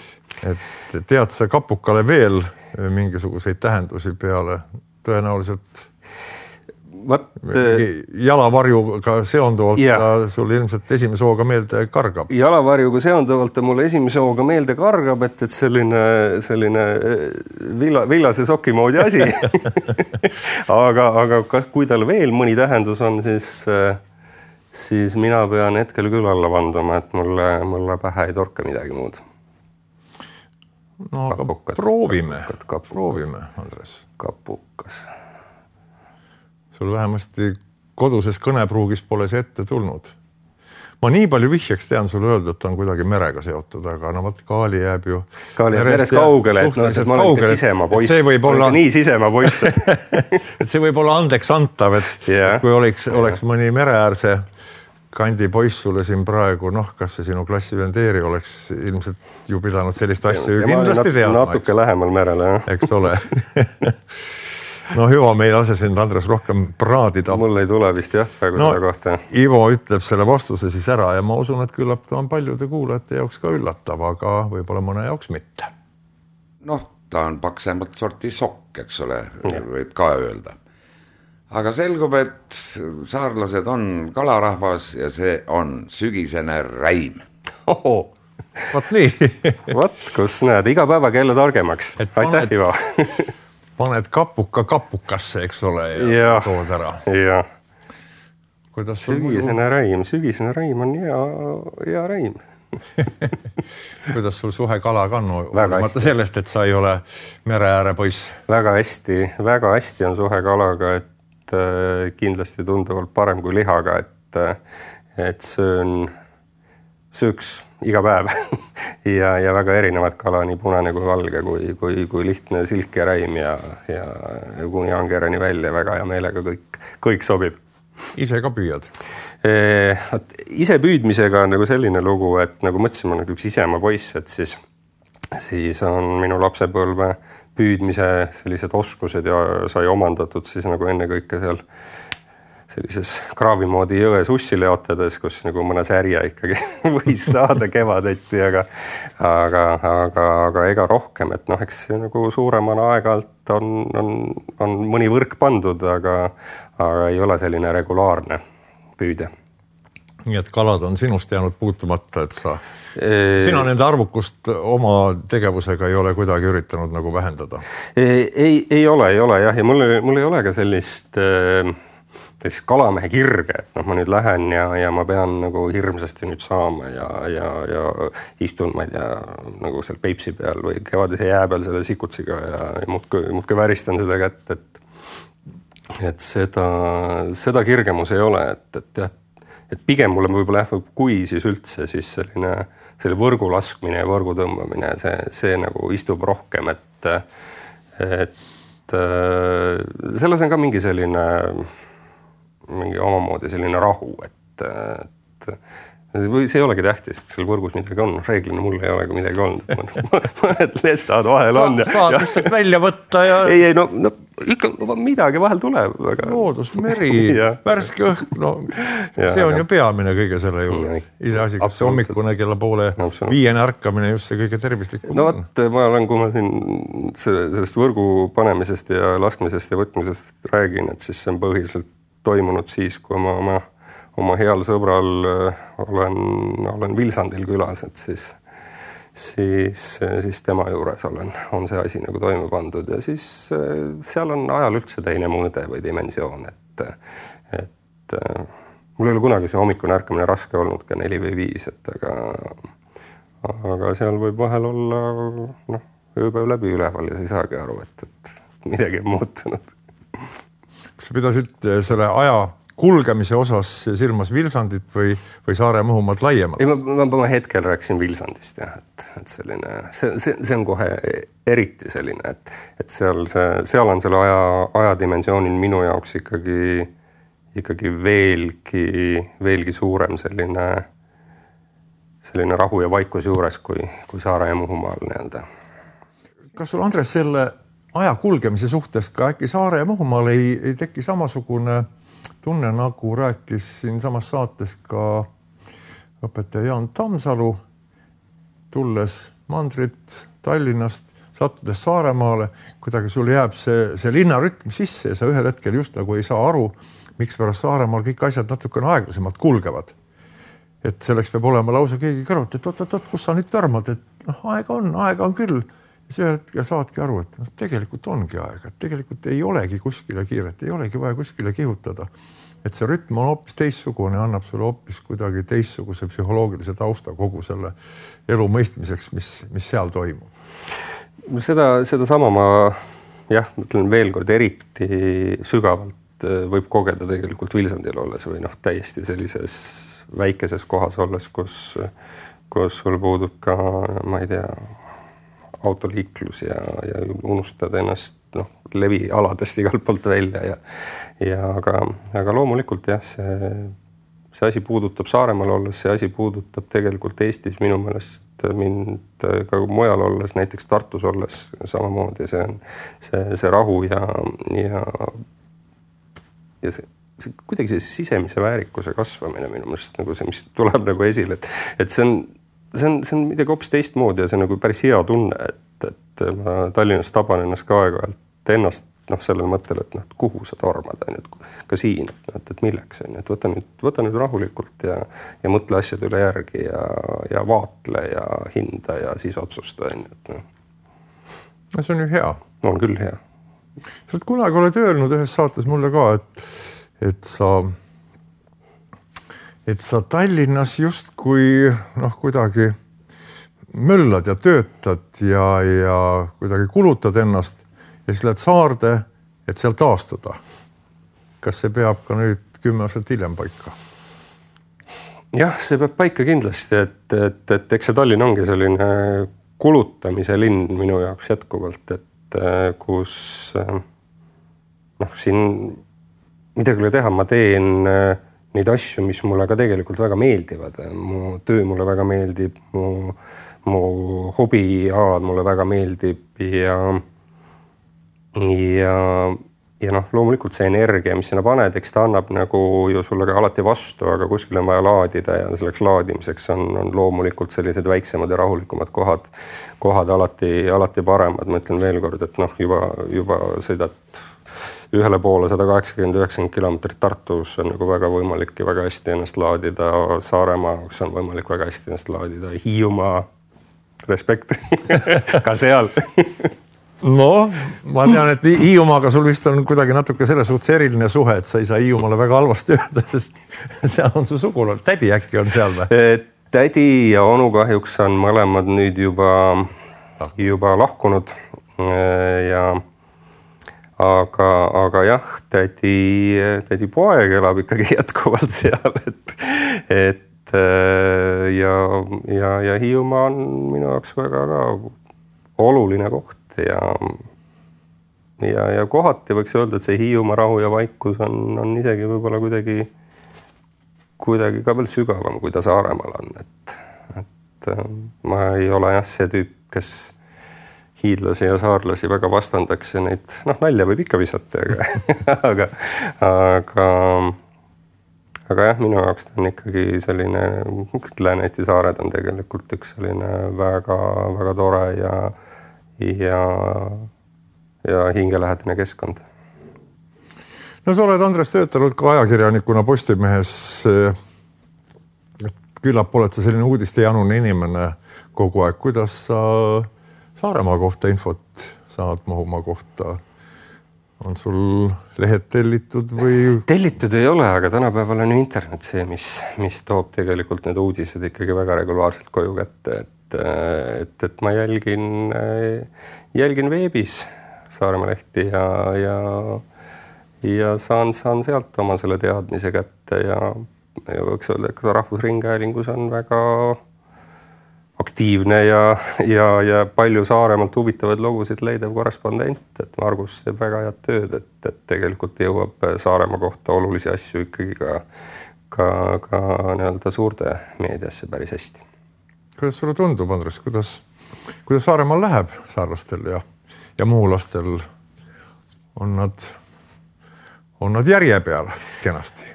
Et tead sa kapukale veel mingisuguseid tähendusi peale tõenäoliselt Vat, jalavarjuga seonduvalt yeah. sul ilmselt esimese hooga meelde kargab. Jalavarjuga seonduvalt mulle esimese hooga meelde kargab, et, et selline, selline villa, villase soki moodi asi. aga, aga kas, kui tal veel mõni tähendus on, siis, siis mina pean hetkel küll alla vandama, et mulle, mulle pähe ei torka midagi muud. No aga kapukad, proovime, kapukad, kapukad. proovime, Andres. Kapukas. Sul vähemasti koduses kõnepruugis pole see ette tulnud. Ma nii palju vihjaks tean sulle öelda, et ta on kuidagi merega seotud, aga no võt Kaali jääb ju Kaali jääb meres kaugele, et, no, et ma olen sisema poiss. See võib olla nii sisema poiss. et see võib olla andeks antav, et yeah. kui oleks, oleks yeah. mõni mereäärse kandi poiss sulle siin praegu, noh, kas see sinu klassivendeeri oleks ilmselt ju pidanud sellist asja ju kindlasti teadma. Natuke eks? Lähemal merele, jah. Eks ole. No hüva, meil lase sind, Andres, rohkem praadida. Mul ei tule vist jah praegu no, selle kohta. Ivo ütleb selle vastuse siis ära ja ma usun, et küllap ta on paljude kuulajate jaoks ka üllatav, aga võib-olla mõne jaoks mitte. Noh, ta on paksemalt sorti sokk, eks ole, ja. Võib ka öelda. Aga selgub, et saarlased on kalarahvas ja see on sügisene räim. Oho. Vat nii. Vat, kus näed, iga päevaga jälle targemaks. Aitäh, Ivo. Paned kapuka kapukasse, eks ole, ja, ja tood ära. Ja. Kuidas sügisene sul... räim, sügisene räim on hea, hea räim. Kuidas sul suhe kalaga on? Väga sellest, et sa ei ole mereääre poiss. Väga hästi, väga hästi on suhe kalaga, et äh, kindlasti tunduvalt parem kui lihaga, et, et söön, sööks iga päev ja, ja väga erinevad kala, nii punane kui valge, kui, kui, kui lihtne silk ja räim ja, ja kuni angerani välja väga hea meelega kõik, kõik sobib. Ise ka püüad? E, ise püüdmisega on nagu selline lugu, et nagu mõtlesin, ma nagu üks isema poiss, et siis, siis on minu lapsepõlve püüdmise sellised oskused ja sai omandatud siis nagu enne kõike seal sellises kraavimoodi jõe sussi leotades, kus nagu mõne särja ikkagi võis saada kevadeti, aga, aga, aga, aga ega rohkem, et noh, eks nagu suuremana aeg-alt on, on, on mõni võrk pandud, aga, aga ei ole selline regulaarne püüde. Nii et kalad on sinust jäänud puutumata, et sa, e... sina nende arvukust oma tegevusega ei ole kuidagi üritanud nagu vähendada? Ei, ei, ei ole, ei ole jah, ja mul, mul ei ole ka sellist... sellist kalamehe kirge, et noh, ma nüüd lähen ja, ja ma pean nagu hirmsasti nüüd saama ja, ja, ja istun, ma ei tea, nagu seal Peipsi peal või kevadise jää peal selle sikutsiga ja, ja muudki, muudki väristan seda kätt, et, et seda, seda kirgemus ei ole, et, et jah, et pigem mulle võib-olla jah, kui siis üldse, siis selline, selle võrgu laskmine ja võrgu tõmbamine, see, see nagu istub rohkem, et, et selles on ka mingi selline mingi omamoodi selline rahu, et, et või see ei olegi tähtis, et seal võrgus midagi on, reeglina mul ei ole midagi olnud, mõned lestad vahel on. Sa, saad lihtsalt välja võtta ja... Ei, ei, no, no ikka midagi vahel tuleb. Aga... Loodus, meri, värske õhk, no ja, see on ja. ju peamine kõige selle juures. Ise asi, kas see hommikune kella poole viiene ärkamine just see kõige tervislikum. No võt, ma olen, kui ma siin sellest võrgu panemisest ja laskmisest ja võtmisest räägin, et siis see on põhiliselt toimunud siis, kui ma oma oma heal sõbral olen, olen Vilsandil külas, et siis, siis, siis tema juures olen, on see asi nagu toime pandud ja siis seal on ajal üldse teine mõõde või dimensioon, et, et mul ei ole kunagi see hommikune ärkamine raske olnud ka neli või viis, et aga, aga seal võib vahel olla noh, ööpäev läbi üleval ja sa ei saagi aru, et, et midagi on muutunud. Kas sa pidasid selle aja kulgemise osas silmas Vilsandit või, või Saare-Muhumaad laiemalt? Ei, ma, ma, ma hetkel rääkisin Vilsandist, jah, et, et selline, see, see, see on kohe eriti selline, et, et seal, see, seal on selle aja, ajadimensioonil minu jaoks ikkagi, ikkagi veelgi, veelgi suurem selline, selline rahu ja vaikus juures kui, kui Saare- ja Muhumaal nii-öelda. Kas sul, Andres, selle aja kulgemise suhtes ka äkki Saare- ja Muhumaal ei, ei teki samasugune tunne, nagu rääkis siin samas saates ka õpetaja Jaan Tammsalu, tulles mandrit Tallinnast, sattudes Saaremaale, kuidagi sul jääb see, see linnarütm sisse ja sa ühel hetkel just nagu ei saa aru, miks pärast Saaremaal kõik asjad natukene aeglasemalt kulgevad. Et selleks peab olema lausa keegi kõrvat, et oot, oot, oot, kus sa nüüd törmad, et noh, aega on, aega on küll. Ja see hetkel saadki aru, et no, tegelikult ongi aega, et tegelikult ei olegi kuskile kiiret, ei olegi vaja kuskile kihutada. Et see rütm on hoopis teistsugune, annab sulle hoopis kuidagi teistsuguse psühholoogilise tausta kogu selle elu mõistmiseks, mis, mis seal toimub. Seda, seda sama ma jah, mõtlen veel kord eriti sügavalt võib kogeda tegelikult Vilsandil olles või noh, täiesti sellises väikeses kohas olles, kus, kus sul puudub ka, ma ei tea, autoliiklus ja, ja unustad ennast noh, levialadest igalt poolt välja ja, ja aga, aga loomulikult jah, see, see asi puudutab Saaremaal olles, see asi puudutab tegelikult Eestis minu meelest mind ka mujal olles, näiteks Tartus olles samamoodi, see on see, see rahu ja, ja, ja see, see kuidagi see sisemise väärikuse kasvamine minu meelest nagu see, mis tuleb nagu esile, et, et see on see on, see on midagi hoopis teistmoodi ja see on nagu päris hea tunne, et, et ma Tallinnast taban ennast ka aeg-ajalt ennast noh, sellel mõttel, et noh, kuhu sa tormad, on, et ka siin, et, et milleks on, et võta nüüd, võta nüüd rahulikult ja, ja mõtle asjade üle järgi ja, ja vaatle ja hinda ja siis otsusta, on, et noh. No see on ju hea. On küll hea. Sa oled kunagi oled öelnud ühes saates mulle ka, et, et sa et sa Tallinnas just kui noh, kuidagi möllad ja töötad ja, ja kuidagi kulutad ennast ja siis lähed Saarde, et seal taastuda. Kas see peab ka nüüd kümme aastat hiljem paika? Jah, see peab paika kindlasti, et, et, et eks see Tallinn ongi selline kulutamise linn minu jaoks jätkuvalt, et kus noh, siin midagi üle teha, ma teen neid asju, mis mulle ka tegelikult väga meeldivad. Mu töö mulle väga meeldib, mu, mu hobialad mulle väga meeldib ja, ja, ja noh, loomulikult see energia, mis sinna paned, eks ta annab nagu ju sulle ka alati vastu, aga kuskil on vaja laadida ja selleks laadimiseks on, on loomulikult sellised väiksemad ja rahulikumad kohad, kohad alati, alati paremad. Ma ütlen veel kord, et noh, juba, juba sõidad ühele poole sada kaheksakümmend üheksakümmend kilomeetrit Tartus on nagu väga võimalik ja väga hästi ennast laadida. Saaremaa, kus on võimalik väga hästi ennast laadida. Hiiumaa, respekt, ka seal. No, ma tean, et Hiiumaaga sul vist on kuidagi natuke selle suhtes eriline suhe, et sa ei saa Hiiumaale väga halvasti öelda, sest seal on su sugulane. Tädi äkki on seal või? Tädi ja onu kahjuks on mõlemad nüüd juba, juba lahkunud ja Aga, aga jah, tädi, tädi poeg elab ikkagi jätkuvalt seal, et, et ja, ja, ja Hiiumaa on minu jaoks väga ka oluline koht ja, ja, ja kohati võiks öelda, et see Hiiumaa rahu ja vaikus on, on isegi võib-olla kuidagi, kuidagi ka veel sügavam, kui ta Saaremaal on, et, et ma ei ole jah see tüüp, kes hiidlasi ja saarlasi väga vastandaks ja neid, noh, nalja võib ikka visata, aga, aga, aga, aga jah, minu jaoks ta on ikkagi selline, Lääne-Eesti saared on tegelikult üks selline väga, väga tore ja, ja, ja hingelähedane keskkond. No sa oled, Andres, töötanud ka ajakirjanikuna Postimehes. Küllap oled sa selline uudistejanune inimene kogu aeg. Kuidas sa Saaremaa kohta infot saad Muhumaa kohta? On sul lehed tellitud või? Tellitud ei ole, aga tänapäeval on internet see, mis, mis toob tegelikult need uudised ikkagi väga regulaarselt koju kätte. Et, et, et ma jälgin, jälgin veebis Saaremaa lehti ja, ja, ja saan, saan sealt oma selle teadmise kätte ja, ja võiks öelda, et Rahvusringhäälingus on väga aktiivne ja, ja, ja palju Saaremaalt huvitavaid lugusid leidev korrespondent, et Margus teeb väga head tööd, et, et tegelikult jõuab Saaremaa kohta olulisi asju ikkagi ka, ka, ka nii-öelda suurde meediasse päris hästi. Kuidas sulle tundub, Andres, kuidas, kuidas Saaremaal läheb saarlastel ja, ja muhulastel? On nad, on nad järje peal kenasti?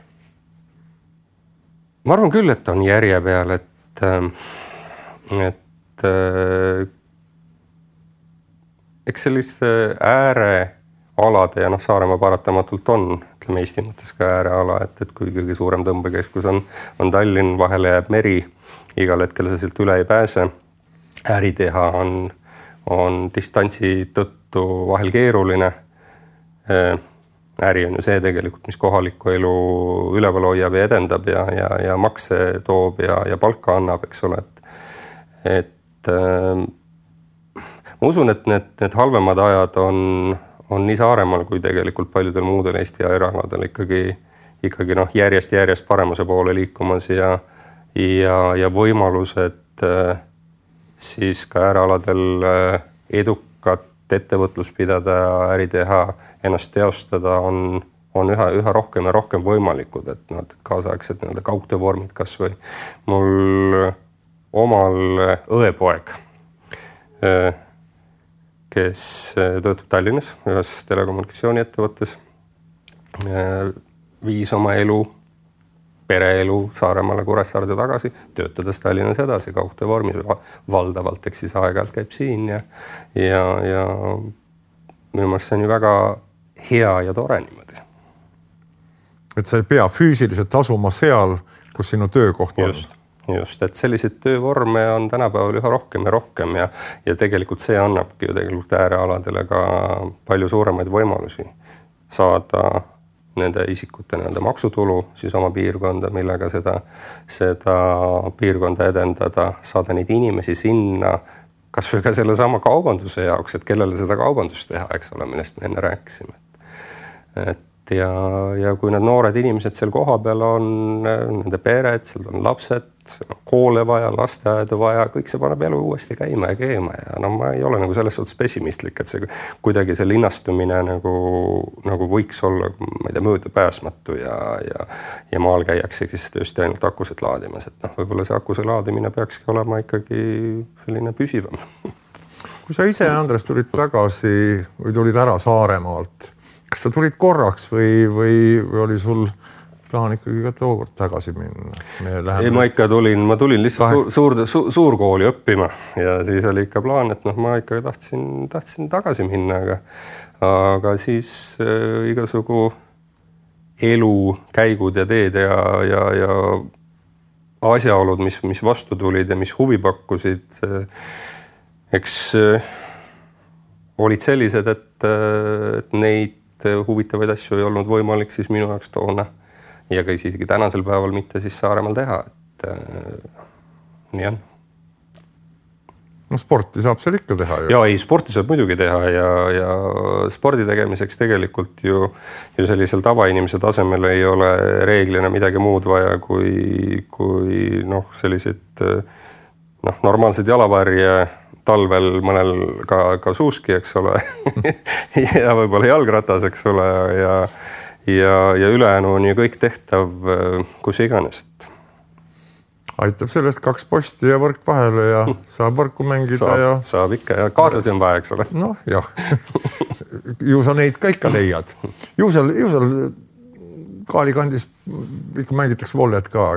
Ma arvan küll, et on järje peal, et et äh, eks selliste äärealade ja noh, Saaremaa paratamatult on, ütleme Eesti mõttes ka ääreala, et, et kui kõige suurem tõmbekeskus on, on Tallinn, vahele jääb meri, igal hetkel sa sealt üle ei pääse. Äri teha on, on distantsi tõttu vahel keeruline. Äh, äri on ju see tegelikult, mis kohalikku elu üleval hoiab ja edendab ja, ja, ja makse toob ja, ja palka annab, eks ole, et et äh, ma usun, et need, need halvemad ajad on, on nii Saaremaal kui tegelikult paljudel muudel Eesti äärealadel ikkagi, ikkagi noh, järjest, järjest paremuse poole liikumas ja, ja, ja võimalused äh, siis ka äärealadel äh, edukat ettevõtlus pidada ja äri teha, ennast teostada on, on üha, üha rohkem ja rohkem võimalikud, et, no, et kaasaegsed nii-öelda kaugtöövormid kas või mul omal õepoeg, kes töötab Tallinnas ühes telekommunikatsiooni ettevõttes, viis oma elu, pereelu Saaremaale Kuressaarde tagasi, töötades Tallinnas edasi kaugtöövormis valdavalt, eks siis aeg-ajalt käib siin ja, ja, ja minu meelest see on ju väga hea ja tore niimoodi. Et sa ei pea füüsiliselt asuma seal, kus sinu töökoht on. Just. Just, et selliseid töövorme on tänapäeval üha rohkem ja rohkem ja, ja tegelikult see annabki ju tegelikult äärealadele ka palju suuremaid võimalusi saada nende isikute nii-öelda maksutulu siis oma piirkonda, millega seda, seda piirkonda edendada, saada neid inimesi sinna, kas või ka selle sama kaubanduse jaoks, et kellele seda kaubandust teha, eks ole, millest me enne rääkisime. Et ja, ja kui need noored inimesed seal koha peal on, nende pered, seal on lapsed, koole vaja, lasteaedu vaja, kõik see paneb elu uuesti käima ja keema ja no ma ei ole nagu selles suhtes pessimistlik, et see kuidagi see linnastumine nagu, nagu võiks olla, ma ei tea, möödapääsmatu ja, ja, ja maal käiakse siis tõesti ainult akusid laadimas, et noh, võib-olla see akuse laadimine peakski olema ikkagi selline püsivam. Kui sa ise, Andres, tulid tagasi või tulid ära Saaremaalt, kas sa tulid korraks või, või, või oli sul plaan ikkagi ka tookord tagasi minna? Ei, ma ikka tulin, ma tulin lihtsalt suur, suur, suurkooli õppima ja siis oli ikka plaan, et noh, ma ikka tahtsin, tahtsin tagasi minna, aga, aga siis äh, igasugu elu, käigud ja teed ja, ja, ja asjaolud, mis, mis vastu tulid ja mis huvi pakkusid, äh, eks äh, olid sellised, et, äh, et neid huvitavaid asju ei olnud võimalik siis minu jaoks toona ja ka isegi tänasel päeval mitte siis Saaremaal teha, et äh, nii on. No sporti saab seal ikka teha ju. Ja ei, sporti saab muidugi teha ja, ja spordi tegemiseks tegelikult ju, ju sellisel tavainimese tasemel ei ole reeglina midagi muud vaja kui, kui noh, sellised noh, normaalsed jalavarje talvel mõnel ka, ka suuski, eks ole, ja võib-olla jalgratas, eks ole, ja, ja, ja ülejäänu on ju kõik tehtav kus iganes. Aitab sellest kaks posti ja võrk vahele ja saab võrku mängida. Saab, ja... saab ikka ja kaaslasi on vaja, eks ole. Noh, jah. Ju sa neid ka ikka leiad. Ju seal, ju seal Kaalikandis ikka mängitakse vollet ka.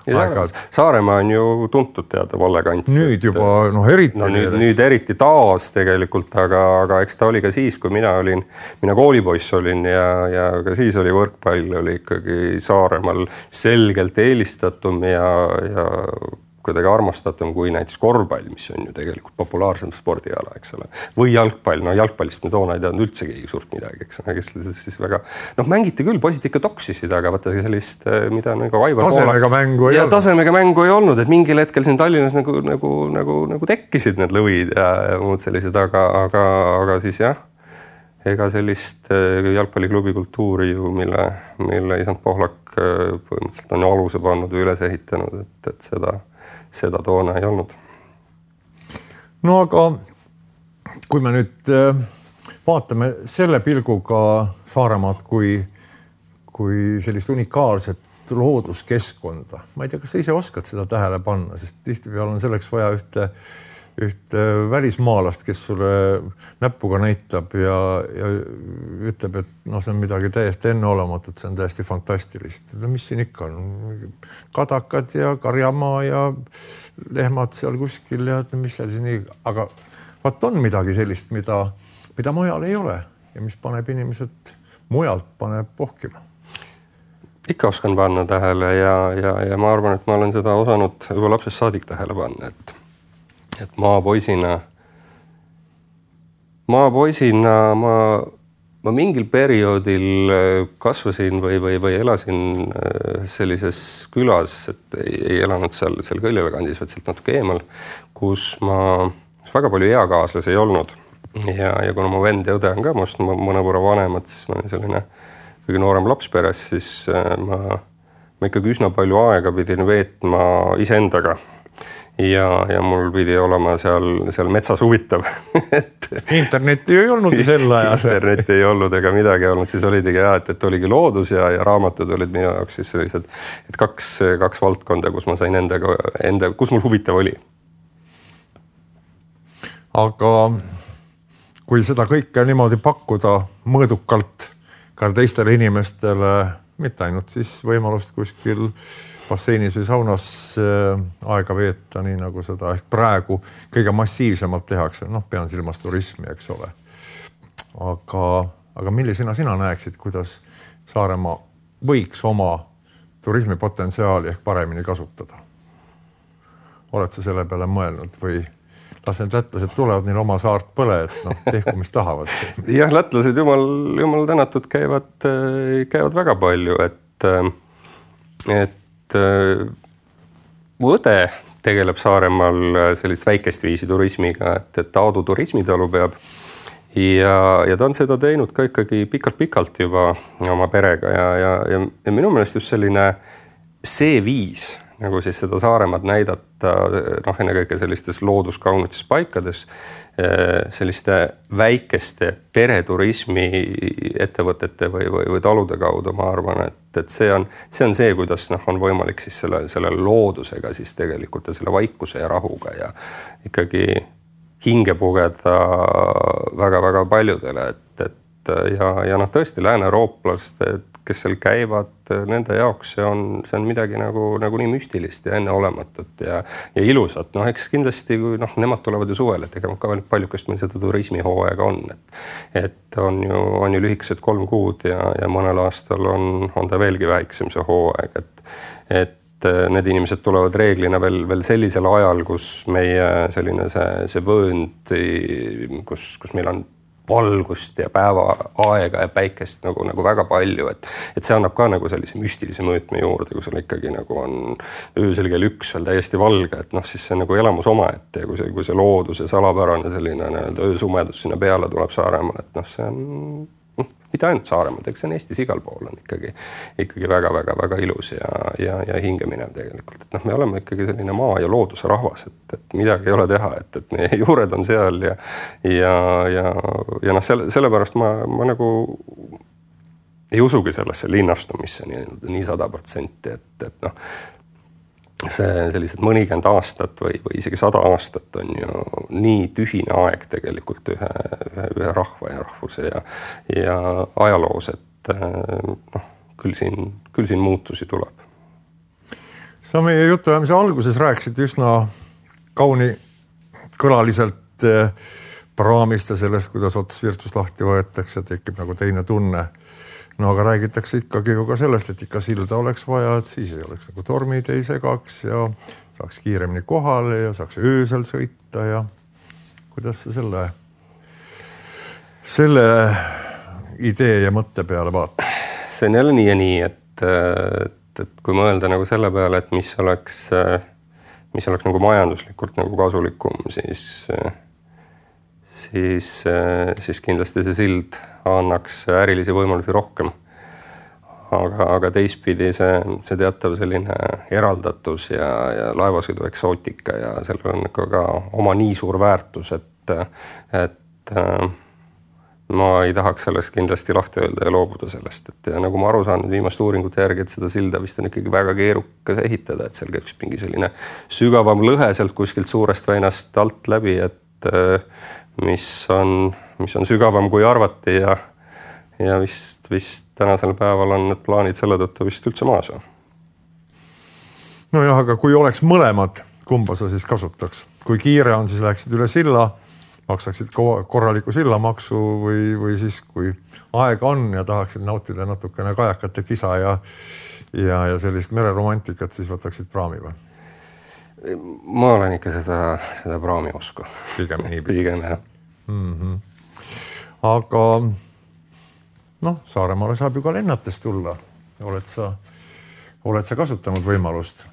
Ja, Saaremaa on ju tuntud teada vollekants. Nüüd juba, noh, eriti. No, nüüd, nüüd eriti taas tegelikult, aga, aga eks ta oli ka siis, kui mina olin, mina koolipoiss olin ja, ja ka siis oli võrkpall, oli ikkagi Saaremaal selgelt eelistatum ja, ja kuidagi armastatum kui näiteks korvpall, mis on ju tegelikult populaarsem spordiala, eks ole. Või jalgpall, no jalgpallist me toona ei teadnud üldse keegi suurt midagi, eks ole, kes siis väga, noh, mängiti küll, poisid ikka toksisid, aga vaata sellist, mida nagu Aivar tasemega mängu ei ja olnud. tasemega mängu ei olnud, et mingil hetkel siin Tallinnas nagu, nagu, nagu, nagu tekkisid need lõvid ja, ja muud sellised, aga, aga, aga siis jah, ega sellist jalgpalliklubi kultuuri ju, mille, mille isand Pohlak põhimõtteliselt on aluse pannud või üles ehitanud, et, et seda seda toona ei olnud. No aga kui me nüüd vaatame selle pilguga Saaremaad kui, kui sellist unikaalset looduskeskkonda, ma ei tea, kas sa ise oskad seda tähele panna, sest tihtipeale on selleks vaja ühte, ühte välismaalast, kes sulle näpuga näitab ja, ja ütleb, et no, see on midagi täiesti enneolematut, see on täiesti fantastilist. Mis siin ikka on? Kadakad ja karjamaa ja lehmad seal kuskil ja mis seal siin, aga vaat on midagi sellist, mida, mida mujal ei ole ja mis paneb inimesed mujalt paneb pohkima. Ikka oskan panna tähele ja, ja, ja ma arvan, et ma olen seda osanud juba lapsest saadik tähele panna, et et maapoisina, maapoisina ma, ma mingil perioodil kasvasin või, või, või elasin sellises külas, et ei, ei elanud seal, seal Kõljala kandis, vaid sealt natuke eemal, kus ma väga palju eakaaslasi ei olnud. Ja, ja kuna mu vend ja õde on ka must mõnevõrra vanemad, siis ma olin selline kõige noorem laps peres, siis ma, ma ikkagi üsna palju aega pidin veetma iseendaga. Ja, ja mul pidi olema seal, seal metsas huvitav. et internetti ei olnud sel ajal. internetti ei olnud ega midagi olnud, siis olidigi jah, et, et oligi loodus ja, ja raamatud olid minu jaoks siis sellised, et kaks, kaks valdkonda, kus ma sain endaga, enda, kus mul huvitav oli. Aga kui seda kõike niimoodi pakkuda mõõdukalt ka teistele inimestele, mitte ainult siis võimalust kuskil basseinis või saunas aega veeta, nii nagu seda ehk praegu kõige massiivsemalt tehakse. Noh, pean silmas turismi, eks ole. Aga, aga millisena sina näeksid, kuidas Saaremaa võiks oma turismipotentsiaali ehk paremini kasutada? Oled sa selle peale mõelnud või las need lätlased tulevad neil oma saart põle, et noh, tehku, mis tahavad. jah, lätlased jumal, jumal tänatud käivad, käivad väga palju, et, et mu õde tegeleb Saaremaal sellist väikest viisi turismiga, et, et Aadu turismitalu peab ja, ja ta on seda teinud ka ikkagi pikalt-pikalt juba oma perega ja, ja, ja, ja minu meelest just selline see viis, nagu siis seda Saaremaad näidata, noh, ennekõike sellistes looduskaunites paikades, selliste väikeste pereturismi ettevõtete või, või, või talude kaudu, ma arvan, et, et see on see, on see kuidas noh, on võimalik siis selle, selle loodusega siis tegelikult ja selle vaikuse ja rahuga ja ikkagi hinge pugeda väga-väga paljudele, et, et ja, ja noh, tõesti Lääne-eurooplaste, kes seal käivad, nende jaoks see on, see on midagi nagu, nagu nii müstilist ja enneolematut ja, ja ilusat. Noh, eks kindlasti, kui noh, nemad tulevad ju suvel, et ega ka paljukest meil seda turismihooaega on. Et, et on ju, on ju lühikesed kolm kuud ja, ja mõnel aastal on, on ta veelgi väiksem see hooaeg. Et, et need inimesed tulevad reeglina veel, veel sellisel ajal, kus meie selline see, see vöönd, kus, kus meil on valgust ja päeva aega ja päikest nagu, nagu väga palju, et, et see annab ka nagu sellise müstilise mõõtme juurde, kui sul ikkagi nagu on öösel kell üks veel täiesti valge, et noh, siis see nagu elamus omaette ja kui see, kui see loodus ja salapärane selline nii-öelda öösumedus sinna peale tuleb Saaremaal, et noh, see on noh, mitte ainult Saaremaad, eks see on Eestis igal pool on ikkagi, ikkagi väga-väga-väga ilus ja, ja, ja hingeminev tegelikult. Et noh, me oleme ikkagi selline maa ja looduse rahvas, et, et midagi ei ole teha, et, et meie juured on seal ja, ja, ja, ja noh, selle, sellepärast ma, ma nagu ei usugi sellesse linnastumisse nii, nii sada protsenti, et, et noh, see sellised mõnikümmend aastat või, või isegi sada aastat on ju nii tühine aeg tegelikult ühe, ühe, ühe rahva ja rahvuse ja, ja ajaloos, et noh, küll siin, küll siin muutusi tuleb. Sa meie jutuajamise alguses rääkisid üsna kauni kõlaliselt praamist ja sellest, kuidas ots virtsus lahti võetakse, tekib nagu teine tunne. No aga räägitakse ikkagi ju ka sellest, et ikka silda oleks vaja, et siis ei oleks nagu tormid ei segaks ja saaks kiiremini kohale ja saaks öösel sõita ja kuidas sa selle, selle idee ja mõtte peale vaatad? See on jälle nii ja nii, et, et, et kui mõelda nagu selle peale, et mis oleks, mis oleks nagu majanduslikult nagu kasulikum, siis, siis, siis kindlasti see sild annaks ärilisi võimalusi rohkem. Aga, aga teistpidi see, see teatav selline eraldatus ja, ja laevasõidu eksootika ja sellel on ka, ka oma nii suur väärtus, et, et ma ei tahaks sellest kindlasti lahti öelda ja loobuda sellest. Et ja nagu ma aru saan viimaste uuringute järgi, et seda silda vist on ikkagi väga keerukas ehitada, et seal käib mingi selline sügavam lõhe sealt kuskilt suurest väinast alt läbi, et mis on mis on sügavam kui arvati ja, ja vist, vist tänasel päeval on need plaanid selle tõttu vist üldse maas. No jah, aga kui oleks mõlemad, kumba sa siis kasutaks? Kui kiire on, siis läheksid üle silla, maksaksid korraliku sillamaksu või, või siis kui aega on ja tahaksid nautida natukene kajakate kisa ja, ja, ja sellist mereromantikat, siis võtaksid praami või? Ma olen ikka seda, seda praami usku. Pigem nii. Pigem jah. Mm-hmm. Aga noh, Saaremaale saab ju ka lennates tulla. Oled sa, oled sa kasutanud võimalust?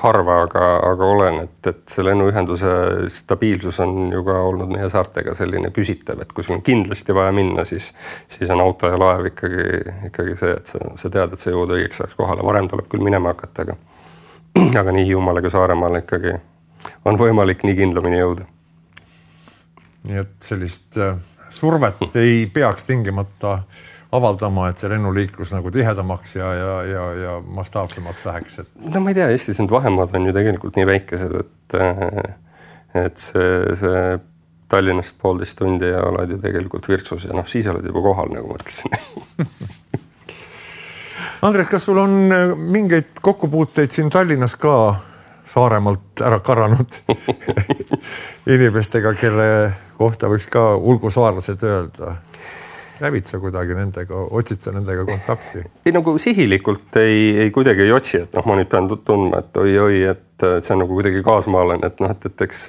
Harva, aga, aga olen, et, et see lennuühenduse stabiilsus on ju ka olnud meie saartega selline küsitav, et kui sul on kindlasti vaja minna, siis, siis on auto ja laev ikkagi, ikkagi see, et sa, sa tead, et sa jõud õigeks ajaks kohale. Varem tuleb küll minema hakata, aga, aga nii Hiiumaale kui Saaremaale ikkagi on võimalik nii kindlamini jõuda. Nii et sellist survet ei peaks tingimata avaldama, et see lennuliiklus nagu tihedamaks ja, ja, ja, ja mastaapsemaks läheks. Et... No ma ei tea, Eestis need vahemaad on ju tegelikult nii väikesed, et, et see, see Tallinnast poolteist tundi ja oled ju tegelikult Virtsus ja noh, siis oled juba kohal, nagu mõtlesin. Andres, kas sul on mingeid kokkupuuteid siin Tallinnas ka Saaremaalt ära karanud inimestega, kelle kohta võiks ka ulgusaarlased öelda? Lävid sa kuidagi nendega, otsid sa nendega kontakti? Ei, nagu sihilikult ei, ei kuidagi ei otsi, et noh, ma nüüd pean tundma, et oi-oi, et see on nagu kuidagi kaasmaalane, et noh, et, et eks,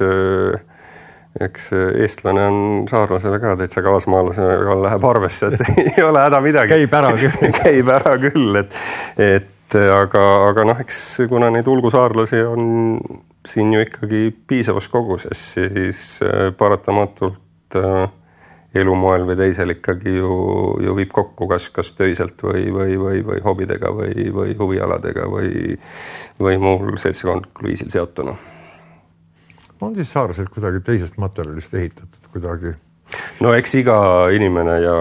eks eestlane on saarlasele ka täitsa kaasmaalasega läheb arvesse, et ei ole häda midagi. Käib ära küll. Käib ära küll, et, et aga, aga noh, eks kuna neid ulgusaarlasi on siin ju ikkagi piisavas koguses, siis paratamatult elumoel või teisel ikkagi ju, ju viib kokku kas, kas töiselt või, või, või, või hobidega või, või huvialadega või, või muul seltsikondlikul viisil seotuna. On siis saarlased kuidagi teisest materjalist ehitatud kuidagi? No eks iga inimene ja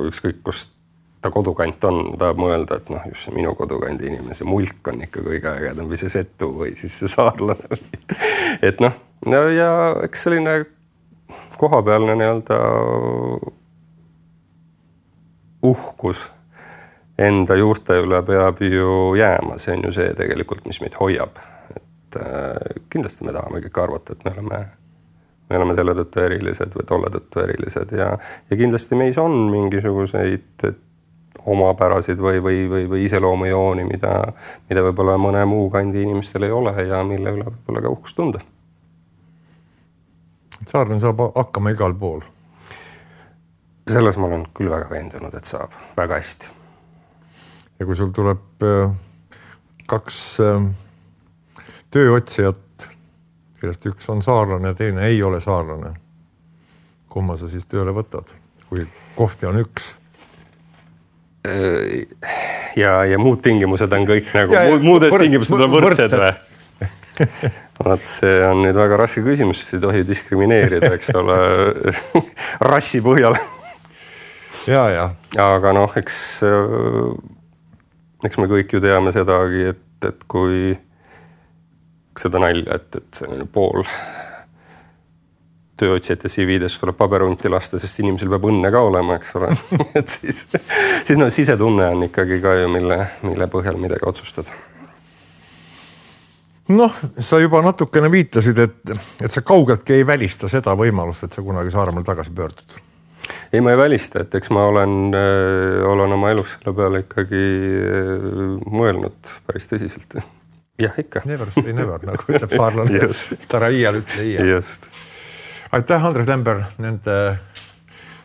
ükskõik kust ta kodukant on, tahab mõelda, et noh, just see minu kodukandi inimene, see mulk on ikka kõige ägedam või see setu või siis see saarlane. Et noh, no ja eks selline kohapealne nii-öelda uhkus enda juurte üle peab ju jääma. See on ju see tegelikult, mis meid hoiab. Et äh, kindlasti me tahame kõik arvata, et me oleme, me oleme selle tõttu erilised või tolle tõttu erilised ja, ja kindlasti meis on mingisuguseid omapärasid või, või, või, või iseloomujooni, mida, mida võib-olla mõne muu kandi inimestel ei ole ja mille üle võib-olla ka uhkust tunda. Saarlane saab hakkama igal pool. Selles ma olen küll väga veendunud, et saab väga hästi. Ja kui sul tuleb kaks tööotsijat, kellest üks on saarlane ja teine ei ole saarlane, kumma sa siis tööle võtad, kui kohti on üks? Ja, ja muud tingimused on kõik nagu, ja, ja, muudest võrd, tingimused on võrdsed või? Vaat see on nüüd väga raske küsimus, sest ei tohi diskrimineerida, eks ole, rassi põhjal. Ja, ja. aga noh, eks, eks me kõik ju teame sedagi, et, et kui seda nalja, et, et see pool tööotsijate C V-des tuleb paberunti lasta, sest inimesel peab õnne ka olema, eks ole. et siis, siis no, sisetunne on ikkagi ka ju, mille, mille põhjal midagi otsustada. Noh, sa juba natukene viitasid, et, et sa kaugeltki ei välista seda võimalust, et sa kunagi Saaremaal tagasi pöördud. Ei, ma ei välista, et eks ma olen, olen oma elus selle peale ikkagi mõelnud päris tõsiselt. Jah, ikka. Never say never, nagu ütleb saarlane. Tara iial ütle iial. Just. Aitäh, Andres Lember, nende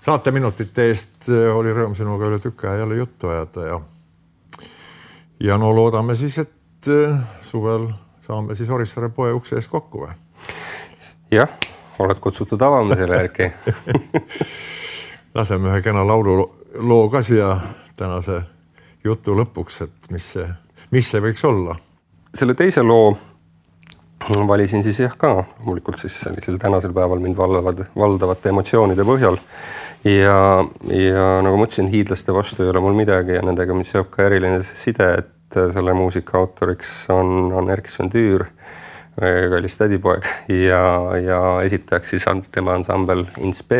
saateminutite eest. Oli rõõm sinuga üle tükka ja jälle juttu ajada. Ja, ja no loodame siis, et suvel saame siis Orissaare poe ukse ees kokku või? Jah, oled kutsutud avama selle järgi. Laseme ühe kena laulu loo ka siia tänase jutu lõpuks, et mis see, mis see võiks olla? Selle teise loo valisin siis jah ka, loomulikult siis sellisel tänasel päeval mind valdavad, valdavate emotsioonide põhjal. Ja, ja nagu ma ütlesin, hiidlaste vastu ei ole mul midagi ja nendega, mis seob ka eriline side, et selle muusika autoriks on, on Erkki Sven Tüür, kallis tädipoeg ja, ja esitajaks siis tema ansambel Insp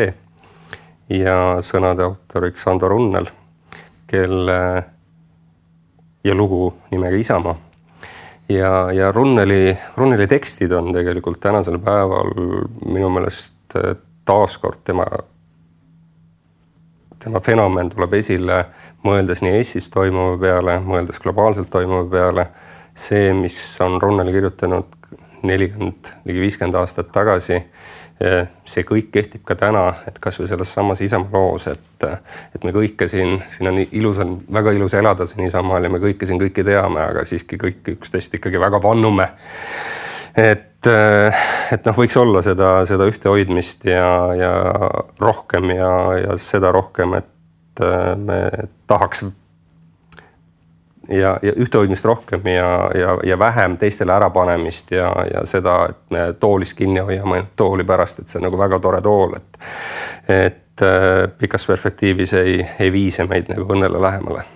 ja sõnade autoriks Ando Runnel, kelle ja lugu nimega Isamaa. Ja, ja Runneli, Runneli tekstid on tegelikult tänasel päeval minu meelest taaskord tema, tema fenomen tuleb esile, mõeldes nii Eestis toimuva peale, mõeldes globaalselt toimuva peale. See, mis on Runneli kirjutanud nelikümmend, ligi viiskümmend aastat tagasi, see kõik kehtib ka täna, et kas või selles samas Isamaa loos, et, et me kõike siin, siin on ilus, on väga ilus elada siin Isamaal ja me kõike siin kõike teame, aga siiski kõik üksteist ikkagi väga vannume. Et, et noh, võiks olla seda, seda ühte hoidmist ja, ja rohkem ja, ja seda rohkem, et me tahaks ja, ja ühtehoidmist rohkem ja, ja, ja vähem teistele ärapanemist ja, ja seda, et me toolis kinni hoiame tooli pärast, et see on nagu väga tore tool, et, et pikas perspektiivis ei, ei viise meid nagu õnnele lähemale.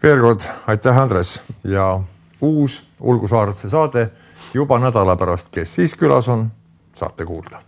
Veel kord, aitäh Andres ja uus Ulgu Saarlase saade juba nädala pärast, kes siis külas on, saate kuulda.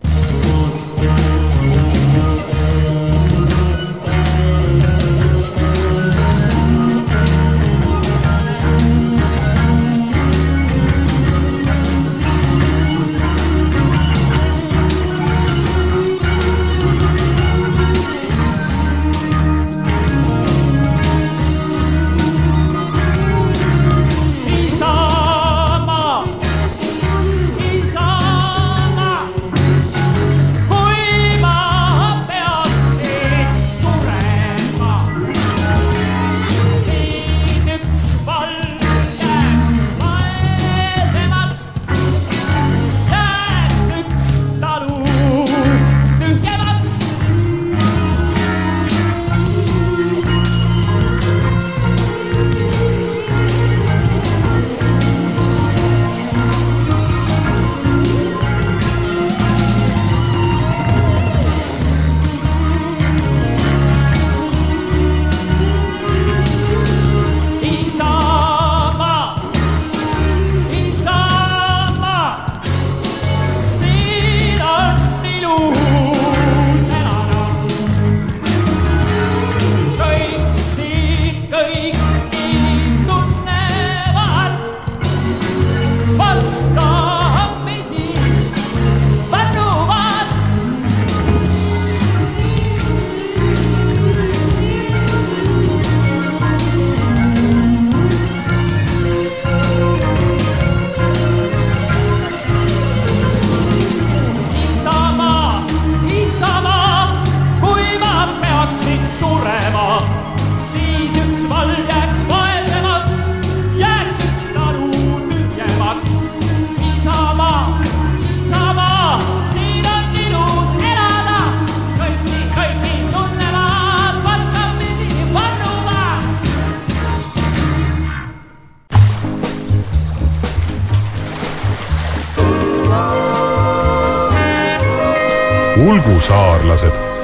Ulgu saarlased